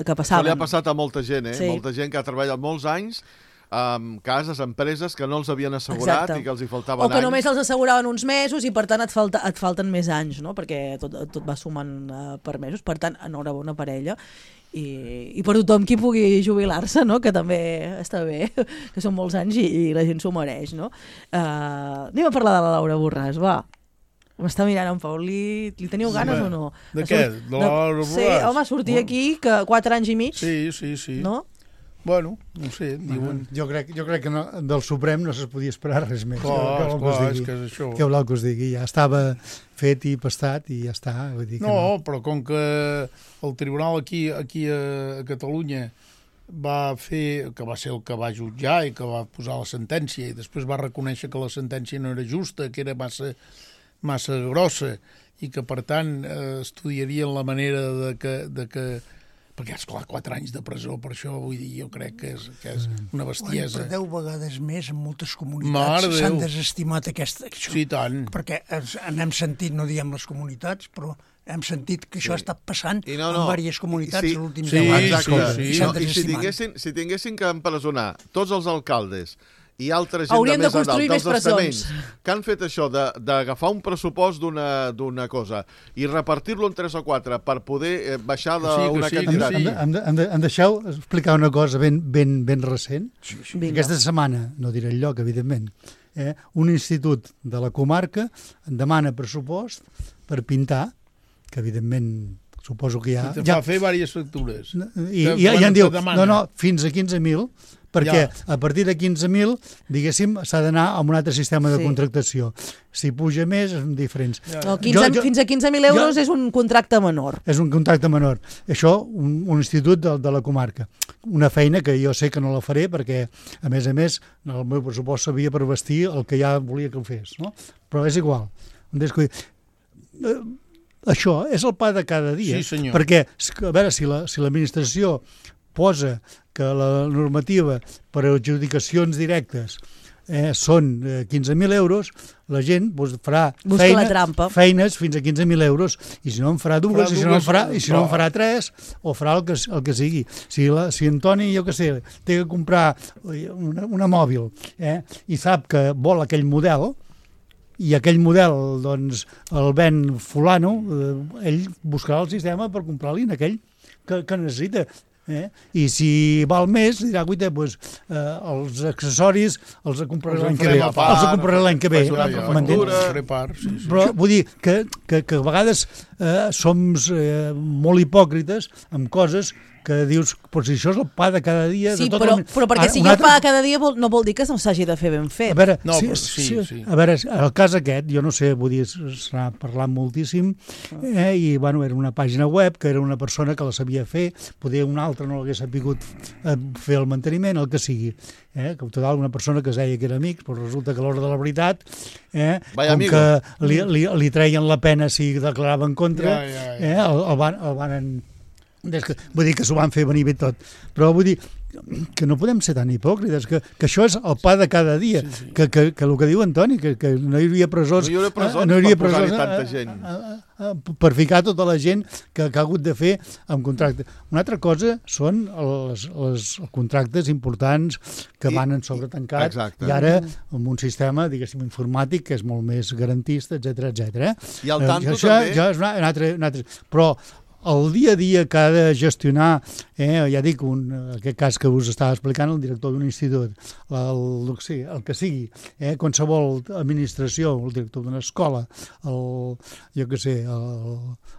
Això li ha passat a molta gent, Sí. Molta gent que ha treballat molts anys amb cases, empreses que no els havien assegurat. Exacte. I que els hi faltaven anys. O que només els asseguraven uns mesos i per tant et falten més anys, no? Perquè tot va sumant per mesos. Per tant, enhorabona per ella. I per tothom qui pugui jubilar-se, no? Que també està bé, que són molts anys i la gent s'ho mereix, no? Anem a parlar de la Laura Borràs, va. M'està mirant en Pau, li teniu ganes o no? De què? De la Laura Borràs? Sí, home, sortir aquí, que 4 anys i mig. Sí. No? Bueno, no sé, diuen... Jo crec que no, del Suprem no se podia esperar res més. És que és això. Què voleu que us digui? Ja estava fet i pastat i ja està. Vull dir que no, però com que el tribunal aquí a Catalunya va fer, que va ser el que va jutjar i que va posar la sentència, i després va reconèixer que la sentència no era justa, que era massa grossa, i que per tant estudiarien la manera de que perquè, esclar, 4 anys de presó per això, vull dir, jo crec que és una bestiesa. Per 10 vegades més en moltes comunitats s'han desestimat això. Sí, tant. Perquè n'hem sentit, no diem les comunitats, però hem sentit que això ha estat passant en diverses comunitats en l'últim 10 anys. I si tinguessin que empresonar tots els alcaldes i altra gent hauríem de més edat dels estaments que han fet això d'agafar un pressupost d'una cosa i repartir-lo en 3 o 4 per poder baixar d'una quantitat. Em deixeu explicar una cosa ben recent? Sí. Aquesta setmana, no diré el lloc, evidentment, un institut de la comarca em demana pressupost per pintar, que evidentment suposo que ja... Va fer diverses factures. I ja em diu, no, fins a 15.000, perquè a partir de 15.000, diguéssim, s'ha d'anar a un altre sistema de contractació. Si puja més, són diferents. Fins a 15.000 euros és un contracte menor. És un contracte menor. Això, un institut de la comarca. Una feina que jo sé que no la faré perquè, a més, el meu pressupost s'havia per vestir el que ja volia que ho fes. No? Però és igual. Això és el pa de cada dia. Sí, senyor. Perquè, a veure, si l'administració posa que la normativa per a adjudicacions directes són 15.000 euros, la gent farà feines fins a 15.000 euros, i si no en farà dues, i si no en farà 3, o farà el que sigui. Si Antoni, jo què sé, té que comprar una mòbil i sap que vol aquell model, i aquell model doncs, el ven fulano, ell buscarà el sistema per comprar-li en aquell que necessita. I si val més, dirà, guaita, els accessoris els compraré l'any que ve. Però vull dir que a vegades som molt hipòcrites amb coses que dius, però si això és el pa de cada dia... Sí, però perquè si hi ha pa de cada dia no vol dir que no s'hagi de fer ben fet. A veure, a veure, el cas aquest, jo no sé, vull dir, s'ha parlat moltíssim, i, bueno, era una pàgina web, que era una persona que la sabia fer, poder una altra no l'hagués sabut fer el manteniment, el que sigui. Que total, una persona que es deia que era amics, però resulta que a l'hora de la veritat, com que li treien la pena si declarava en contra, el van Vull dir que s'ho van fer venir bé tot. Però vull dir que no podem ser tan hipòcrites, que això és el pa de cada dia, que el que diu Antoni, que no hi hauria presons, no hi hauria presons per tanta gent. Per ficar tota la gent que ha hagut de fer amb contracte. Una altra cosa són els contractes importants que van en sobretancat i ara amb un sistema, diguéssim, informàtic que és molt més garantista, etc. I al tanto això també... Ja és un altre... Però el dia a dia que ha de gestionar, ja dic, aquest cas que us estava explicant, el director d'un institut, el que sigui, qualsevol administració, el director d'una escola,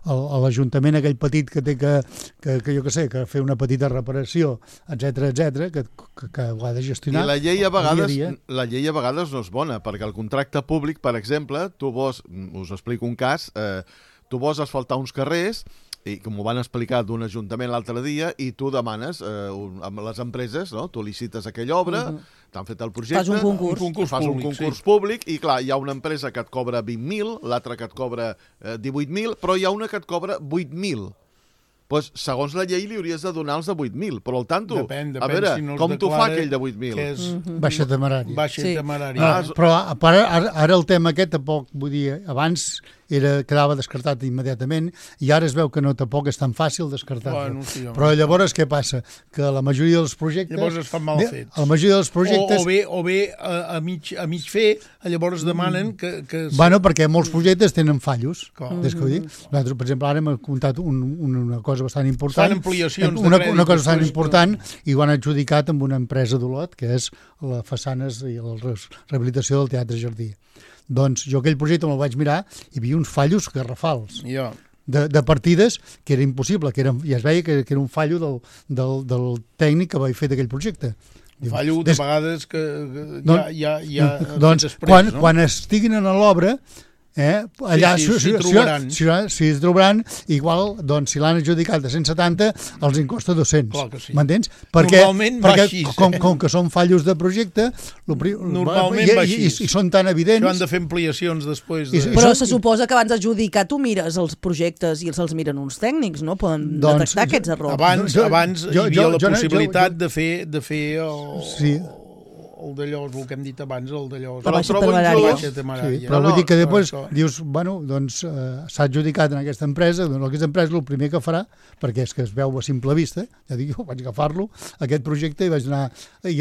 l'Ajuntament aquell petit que té que fer una petita reparació, etc, que ho ha de gestionar. I la llei a vegades no és bona, perquè el contracte públic, per exemple, us explico un cas, tu vols asfaltar uns carrers, i com ho van explicar d'un ajuntament l'altre dia, i tu demanes amb les empreses, no? Tu licites aquella obra, t'han fet el projecte... Fas un concurs. Fas un concurs públic, i clar, hi ha una empresa que et cobra 20.000, l'altra que et cobra 18.000, però hi ha una que et cobra 8.000. Doncs, segons la llei, li hauries de donar els de 8.000, però al tanto, a veure, com t'ho fa aquell de 8.000? Baixa temerària. Però ara el tema aquest, tampoc, vull dir, abans quedava descartat immediatament i ara es veu que no tampoc és tan fàcil descartar-lo. Però llavors què passa? Que la majoria dels projectes... Llavors es fan mal fets. La majoria dels projectes... O bé a mig fer, llavors demanen que... Bueno, perquè molts projectes tenen fallos. Des que ho dic. Nosaltres, per exemple, ara m'ha contat una cosa bastant important. Fan ampliacions de crèdit. Una cosa bastant important i ho han adjudicat amb una empresa d'Olot, que és la façanes i la rehabilitació del Teatre Jardí. Doncs jo aquell projecte me'l vaig mirar i hi havia uns fallos garrafals de partides que era impossible, i es veia que era un fallo del tècnic que vaig fer d'aquell projecte. Fallo de vegades que ja doncs quan estiguin a l'obra allà s'hi trobaran, igual, doncs, si l'han adjudicat de 170, els en costa 200. M'entens? Perquè com que són fallos de projecte, normalment va així. I són tan evidents... Això han de fer ampliacions després. Però se suposa que abans d'adjudicar tu mires els projectes i els miren uns tècnics, no? Poden detectar aquests errors. Abans hi havia la possibilitat de fer el d'allò, el que hem dit abans, el d'allò... La baixa temerària. Però vull dir que després dius, bueno, doncs s'ha adjudicat en aquesta empresa, doncs aquesta empresa el primer que farà, perquè és que es veu a simple vista, ja dic, jo vaig agafar-lo, aquest projecte, i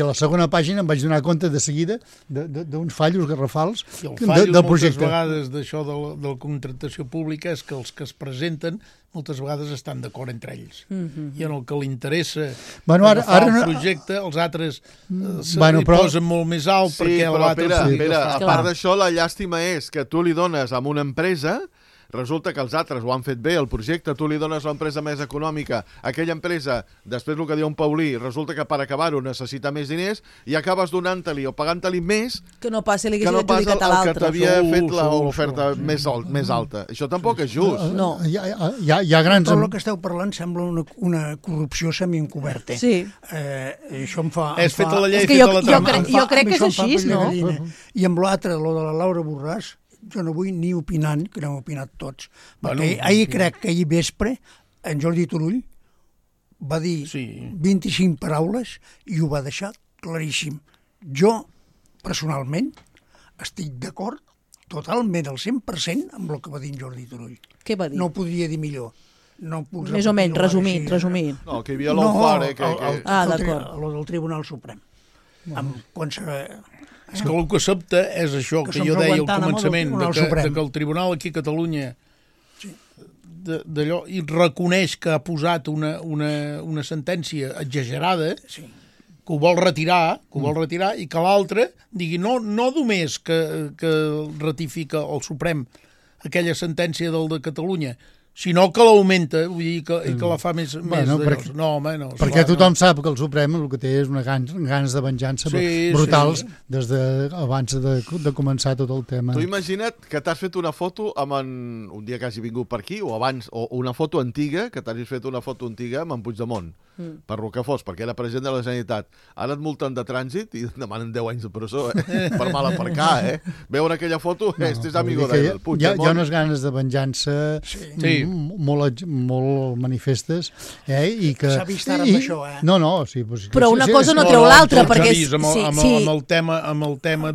a la segona pàgina em vaig donar compte de seguida d'uns fallos garrafals del projecte. I el fallo moltes vegades d'això de la contractació pública és que els que es presenten moltes vegades estan d'acord entre ells. I en el que li interessa agafar el projecte, els altres li posen molt més alt perquè l'altre... Però, a part d'això, la llàstima és que tu li dones a una empresa, resulta que els altres ho han fet bé, el projecte, tu li dones l'empresa més econòmica, aquella empresa, després el que diu en Paulí, resulta que per acabar-ho necessita més diners i acabes donant-li o pagant-li més que no passi adjudicat a l'altre. Que t'havia fet l'oferta més alta. Això tampoc és just. No. Hi ha grans... Tot el que esteu parlant sembla una corrupció semi-encoberta. Sí. Això em fa... És feta la llei, feta la trama. Jo crec que és així, no? I amb l'altre, lo de la Laura Borràs, jo no vull ni opinant, que n'hem opinat tots. Perquè crec que ahir vespre en Jordi Turull va dir 25 paraules i ho va deixar claríssim. Jo, personalment, estic d'acord totalment al 100% amb el que va dir en Jordi Turull. Què va dir? No ho podria dir millor. Més o menys, resumint. No, que hi havia l'Ofare... d'acord. El del Tribunal Suprem. És que el que sobta és això que jo deia al començament, que el Tribunal aquí a Catalunya d'allò i reconeix que ha posat una sentència exagerada, que ho vol retirar i que l'altre digui no només que ratifica el Suprem aquella sentència del de Catalunya, sinó que l'augmenta, vull dir, que la fa més d'allò. No, home, no. Perquè tothom sap que el Suprem el que té és una ganes de venjança brutals des d'abans de començar tot el tema. Tu imagina't que t'has fet una foto amb un dia que hagi vingut per aquí, o abans, o una foto antiga, que t'hagis fet una foto antiga amb en Puigdemont, per lo que fos, perquè era president de la Generalitat. Ara et multen de trànsit i et demanen 10 anys de presó, per mal aparcar, Veure aquella foto, este és amigo del Puigdemont. Hi ha unes ganes de venjança molt manifestes, i que... S'ha vist ara amb això, No, sí. Però una cosa no treu l'altra, perquè... Amb el tema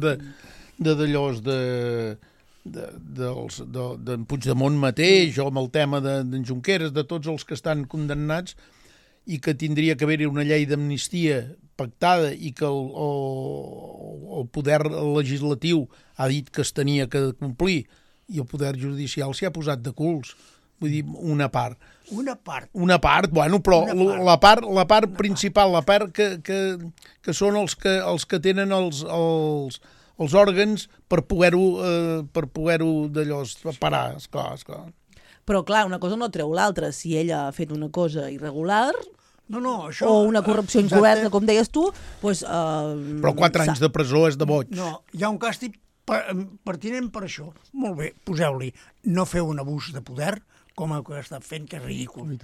d'allòs d'en Puigdemont mateix, o amb el tema d'en Junqueras, de tots els que estan condemnats, i que tindria que haver-hi una llei d'amnistia pactada i que el poder legislatiu ha dit que es tenia que complir i el poder judicial s'hi ha posat de culs. Vull dir, una part. Una part, bueno, però la part principal, la part que són els que tenen els òrgans per poder-ho d'allò parar, esclar. Però clar, una cosa no treu l'altra. Si ella ha fet una cosa irregular... això... O una corrupció encoberta, com deies tu, doncs... Però 4 anys de presó és de boig. No, hi ha un càstig pertinent per això. Molt bé, poseu-li. No feu un abús de poder, com el que està fent, que és ridícul.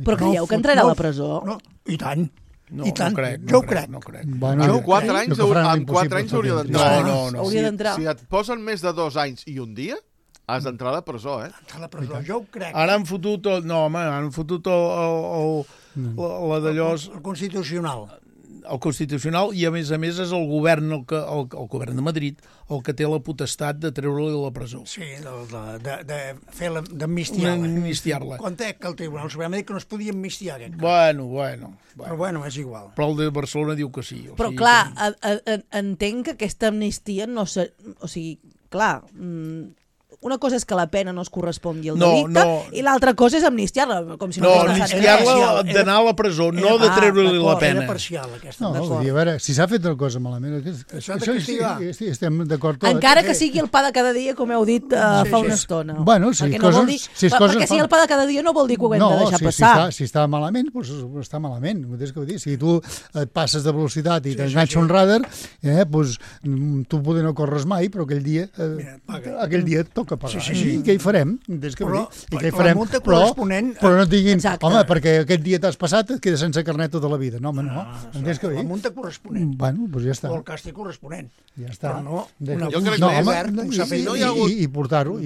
Però creieu que entrarà a la presó? No, i tant. No crec. Jo ho crec. Bueno, amb 4 anys hauria d'entrar. No. Si et posen més de 2 anys i un dia, has d'entrar a la presó, Entrar a la presó, jo ho crec. Ara han fotut la d'allò... El Constitucional. El Constitucional, i a més és el govern, el govern de Madrid, el que té la potestat de treure-li a la presó. Sí, d'amnistiar-la. Contec que el Tribunal Suprem ha dit que no es podia amnistiar aquest cas. Bueno. Però bueno, és igual. Però el de Barcelona diu que sí. Però clar, entenc que aquesta amnistia no... O sigui, clar... Una cosa és que la pena no es correspongui al delicte i l'altra cosa és amnistiar-la. Amnistiar-la d'anar a la presó, no de treure-li la pena. Era parcial, aquesta. No, vull dir, a veure, si s'ha fet una cosa malament, això estem d'acord tots. Encara que sigui el pa de cada dia, com heu dit fa una estona. Bueno, perquè si el pa de cada dia no vol dir que ho hem de deixar passar. Si està malament, doncs està malament. Si tu et passes de velocitat i t'enganxa un radar, doncs tu poder no corres mai, però aquell dia et toca pagar. I què hi farem? La multa corresponent... Però no et diguin, home, perquè aquest dia t'has passat, et quedes sense carnet tota la vida. No, home, no. La multa corresponent. Bueno, doncs ja està. O el càstig corresponent. Ja està. Però no, jo crec que i portar-ho,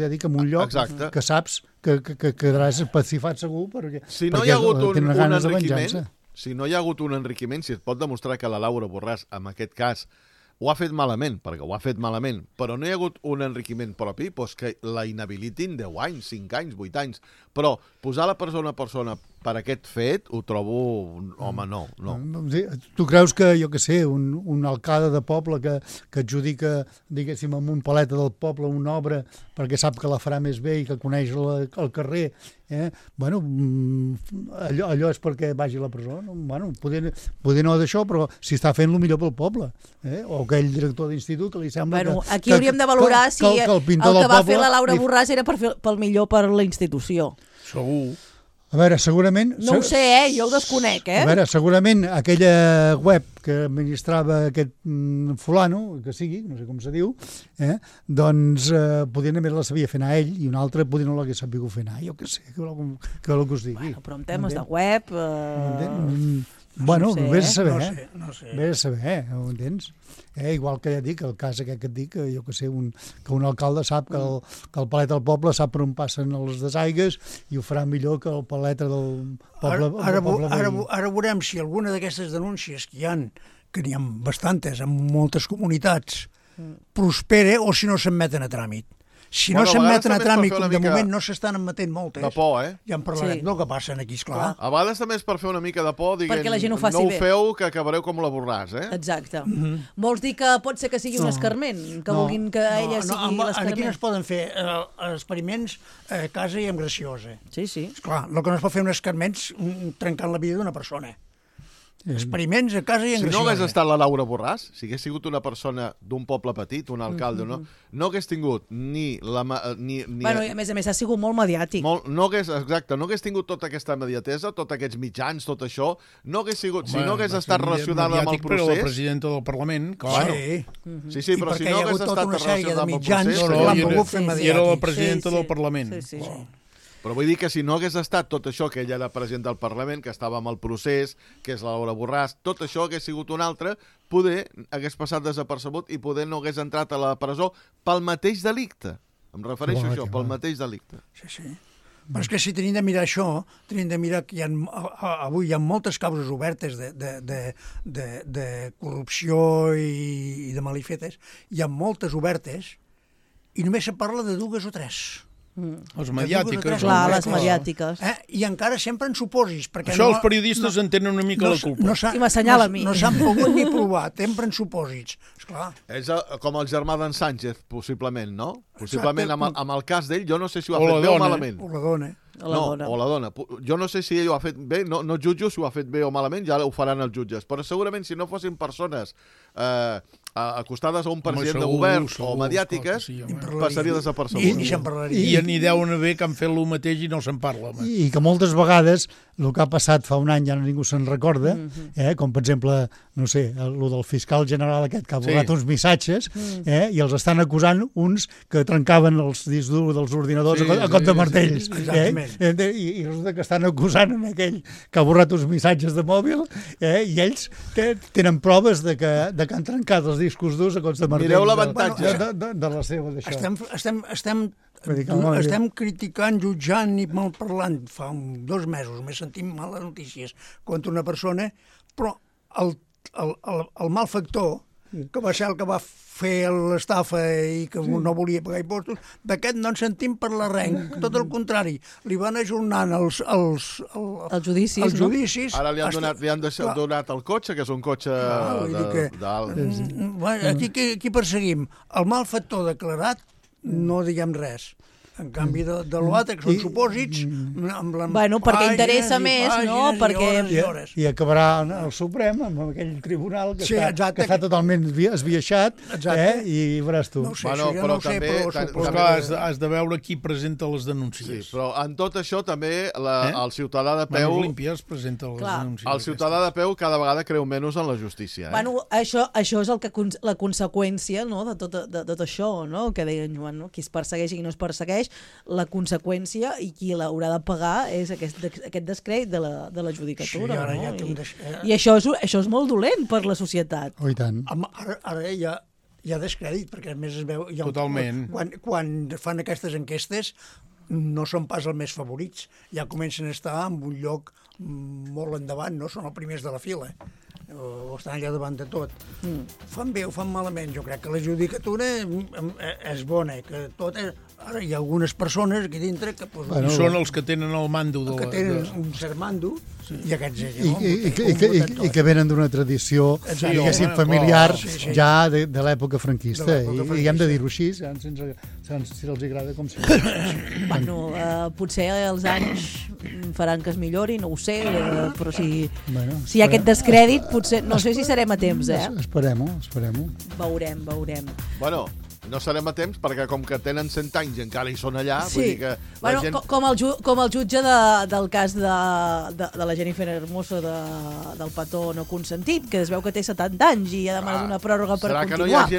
ja dic, en un lloc que saps que quedaràs pacifat segur perquè no hi ha hagut un enriquiment, si no hi ha hagut un enriquiment, si es pot demostrar que la Laura Borràs, en aquest cas, ho ha fet malament, perquè ho ha fet malament, però no hi ha hagut un enriquiment propi, doncs que la inhabilitin 10 anys, 5 anys, 8 anys. Però posar la persona per aquest fet, ho trobo... Home, no. Tu creus que, jo què sé, un alcalde de poble que adjudica, diguéssim, amb un paleta del poble una obra perquè sap que la farà més bé i que coneix el carrer, bueno, allò és perquè vagi a la presó? Bueno, poder no d'això, però si està fent el millor pel poble, o aquell director d'institut que li sembla aquí hauríem de valorar si el que va fer la Laura Borràs era pel millor per la institució. Segur. A veure, segurament... No ho sé, jo ho desconec, A veure, segurament aquella web que administrava aquest fulano, que sigui, no sé com se diu, doncs poder només la sabia fer anar ell i un altre poder no l'hagués sabut fer anar. Jo què sé, què vol que us digui. Bueno, però en temes de web... Bueno, no sé, vés a saber, no sé. Vés a saber, ho entens? Igual que ja dic, el cas aquest que et dic, jo que sé, que un alcalde sap que el palet del poble sap per on passen els desaigues i ho farà millor que el paleta del poble. Ara veurem si alguna d'aquestes denúncies que n'hi ha bastantes en moltes comunitats, prospera o si no s'admeten a tràmit. Si no s'admeten a tràmit, com de moment no s'estan admetent moltes. De por, Ja en parlarem del que passen aquí, esclar. A vegades també és per fer una mica de por, dient, perquè la gent ho faci no bé. ho feu, que acabareu com la Borràs, Exacte. Vols dir que pot ser que sigui un escarment? Que vulguin que ella sigui l'escarment? Aquí no es poden fer experiments a casa i amb graciosa. Sí. Esclar, el que no es pot fer un escarment és trencant la vida d'una persona. Experiments a casa i en graciosa. Si no hagués estat la Laura Borràs, si hagués sigut una persona d'un poble petit, un alcalde, no hagués tingut ni... Bueno, i a més ha sigut molt mediàtic. No hagués tingut tota aquesta mediatesa, tots aquests mitjans, tot això, no hagués sigut... Si no hagués estat relacionada amb el procés... Però la presidenta del Parlament, clar. Sí, però si no hagués estat relacionada amb el procés... I era la presidenta del Parlament. Sí. Però vull dir que si no hagués estat tot això, que ella era president del Parlament, que estava amb el procés, que és la Laura Borràs, tot això hagués sigut un altre, poder hagués passat desapercebut i poder no hagués entrat a la presó pel mateix delicte. Em refereixo a això, pel mateix delicte. Sí. Però és que si tenim de mirar això, tenim de mirar que avui hi ha moltes causes obertes de corrupció i de malifetes, hi ha moltes obertes i només se parla de 2 o 3. Les mediàtiques. Clar, les mediàtiques. I encara sempre en supòsits. Això els periodistes en tenen una mica la culpa. I m'assenyala a mi. No s'han pogut ni provar, sempre en supòsits. Esclar. És com el germà d'en Sánchez, possiblement, no? Possiblement, amb el cas d'ell, jo no sé si ho ha fet bé o malament. O la dona. O la dona. Jo no sé si ell ho ha fet bé, no jutjo si ho ha fet bé o malament, ja ho faran els jutges. Però segurament si no fossin persones acostades a un president de govern o mediàtiques, passaria desapercebut. I se'n parlaria. I n'hi deuen haver que han fet el mateix i no se'n parla. I que moltes vegades el que ha passat fa un any ja ningú se'n recorda, com per exemple, no sé, el del fiscal general aquest que ha borrat uns missatges i els estan acusant uns que trencaven els discs durs dels ordinadors a cop de martells. I resulta que estan acusant aquell que ha borrat uns missatges de mòbil i ells tenen proves de que han trencat els discos durs a cops de martells. Mireu l'avantatge de la seva d'això. Estem criticant, jutjant i malparlant fa 2 mesos, m'he sentit males notícies contra una persona, però el malfactor, que va ser el que va fer l'estafa i que no volia pagar impostos, d'aquest no en sentim parlar res, tot el contrari, li van ajornant els judicis. Ara li han donat el cotxe, que és un cotxe d'alt. Aquí perseguim el malfactor declarat, no diguem res. En canvi de l'altre, que són supòsits... Bueno, perquè interessa més, no? I acabarà el Suprem amb aquell tribunal que està totalment esbiaixat i veuràs tu. Però també has de veure qui presenta les denúncies. Sí, però en tot això també el ciutadà de peu... L'Olimpia es presenta les denúncies. El ciutadà de peu cada vegada creu menys en la justícia. Bueno, això és la conseqüència de tot això, que deien Joan, qui es persegueix i qui no es persegueix, la conseqüència i qui l'haurà de pagar és aquest descrèdit de la judicatura. I això és molt dolent per la societat. Oh, i tant. Ara hi ha descrèdit, perquè a més es veu... Totalment. Quan fan aquestes enquestes no són pas els més favorits, ja comencen a estar en un lloc molt endavant, no? Són els primers de la fila. O estan allà davant de tot. Fan bé o fan malament? Jo crec que la judicatura és bona, que tot és... Ara hi ha algunes persones aquí dintre que... Són els que tenen el mando. Que tenen un cert mando, i aquests... I que venen d'una tradició, diguéssim, familiar ja de l'època franquista. I hem de dir-ho així, si els agrada com si... Bueno, potser els anys faran que es millori, no ho sé, però si hi ha aquest descrèdit, potser... No sé si serem a temps, Esperem-ho. Veurem. Bueno... No serem a temps, perquè com que tenen 100 anys i encara hi són allà, vull dir que... Com el jutge del cas de la Jennifer Hermoso del petó no consentit, que es veu que té 70 anys i ha demanat una pròrroga per continuar.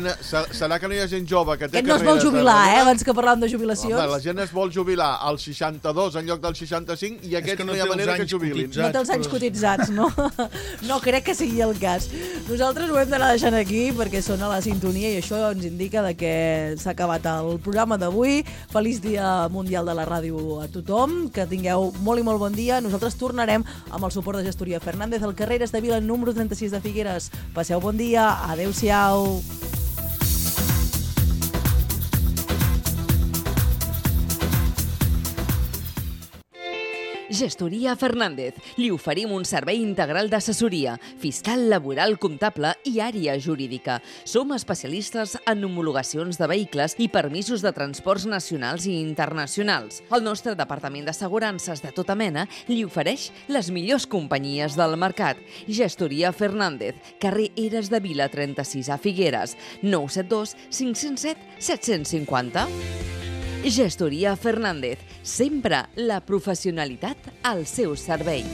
Serà que no hi ha gent jove que té carreres... no es vol jubilar, abans que parlàvem de jubilacions. La gent es vol jubilar als 62 en lloc dels 65 i aquests no hi ha manera que jubilin. No té els anys cotitzats, no? No crec que sigui el cas. Nosaltres ho hem d'anar deixant aquí perquè sona la sintonia i això ens indica que s'ha acabat el programa d'avui. Feliç Dia Mundial de la Ràdio a tothom, que tingueu molt i molt bon dia. Nosaltres tornarem amb el suport de Gestoria Fernández al carrer Estavila número 36 de Figueres. Passeu bon dia, adeu-siau. Gestoria Fernández. Li oferim un servei integral d'assessoria, fiscal, laboral, comptable i àrea jurídica. Som especialistes en homologacions de vehicles i permisos de transports nacionals i internacionals. El nostre departament d'assegurances de tota mena li ofereix les millors companyies del mercat. Gestoria Fernández, carrer Eres de Vila 36 a Figueres, 972 507 750. Gestoria Fernández, sempre la professionalitat al seu servei.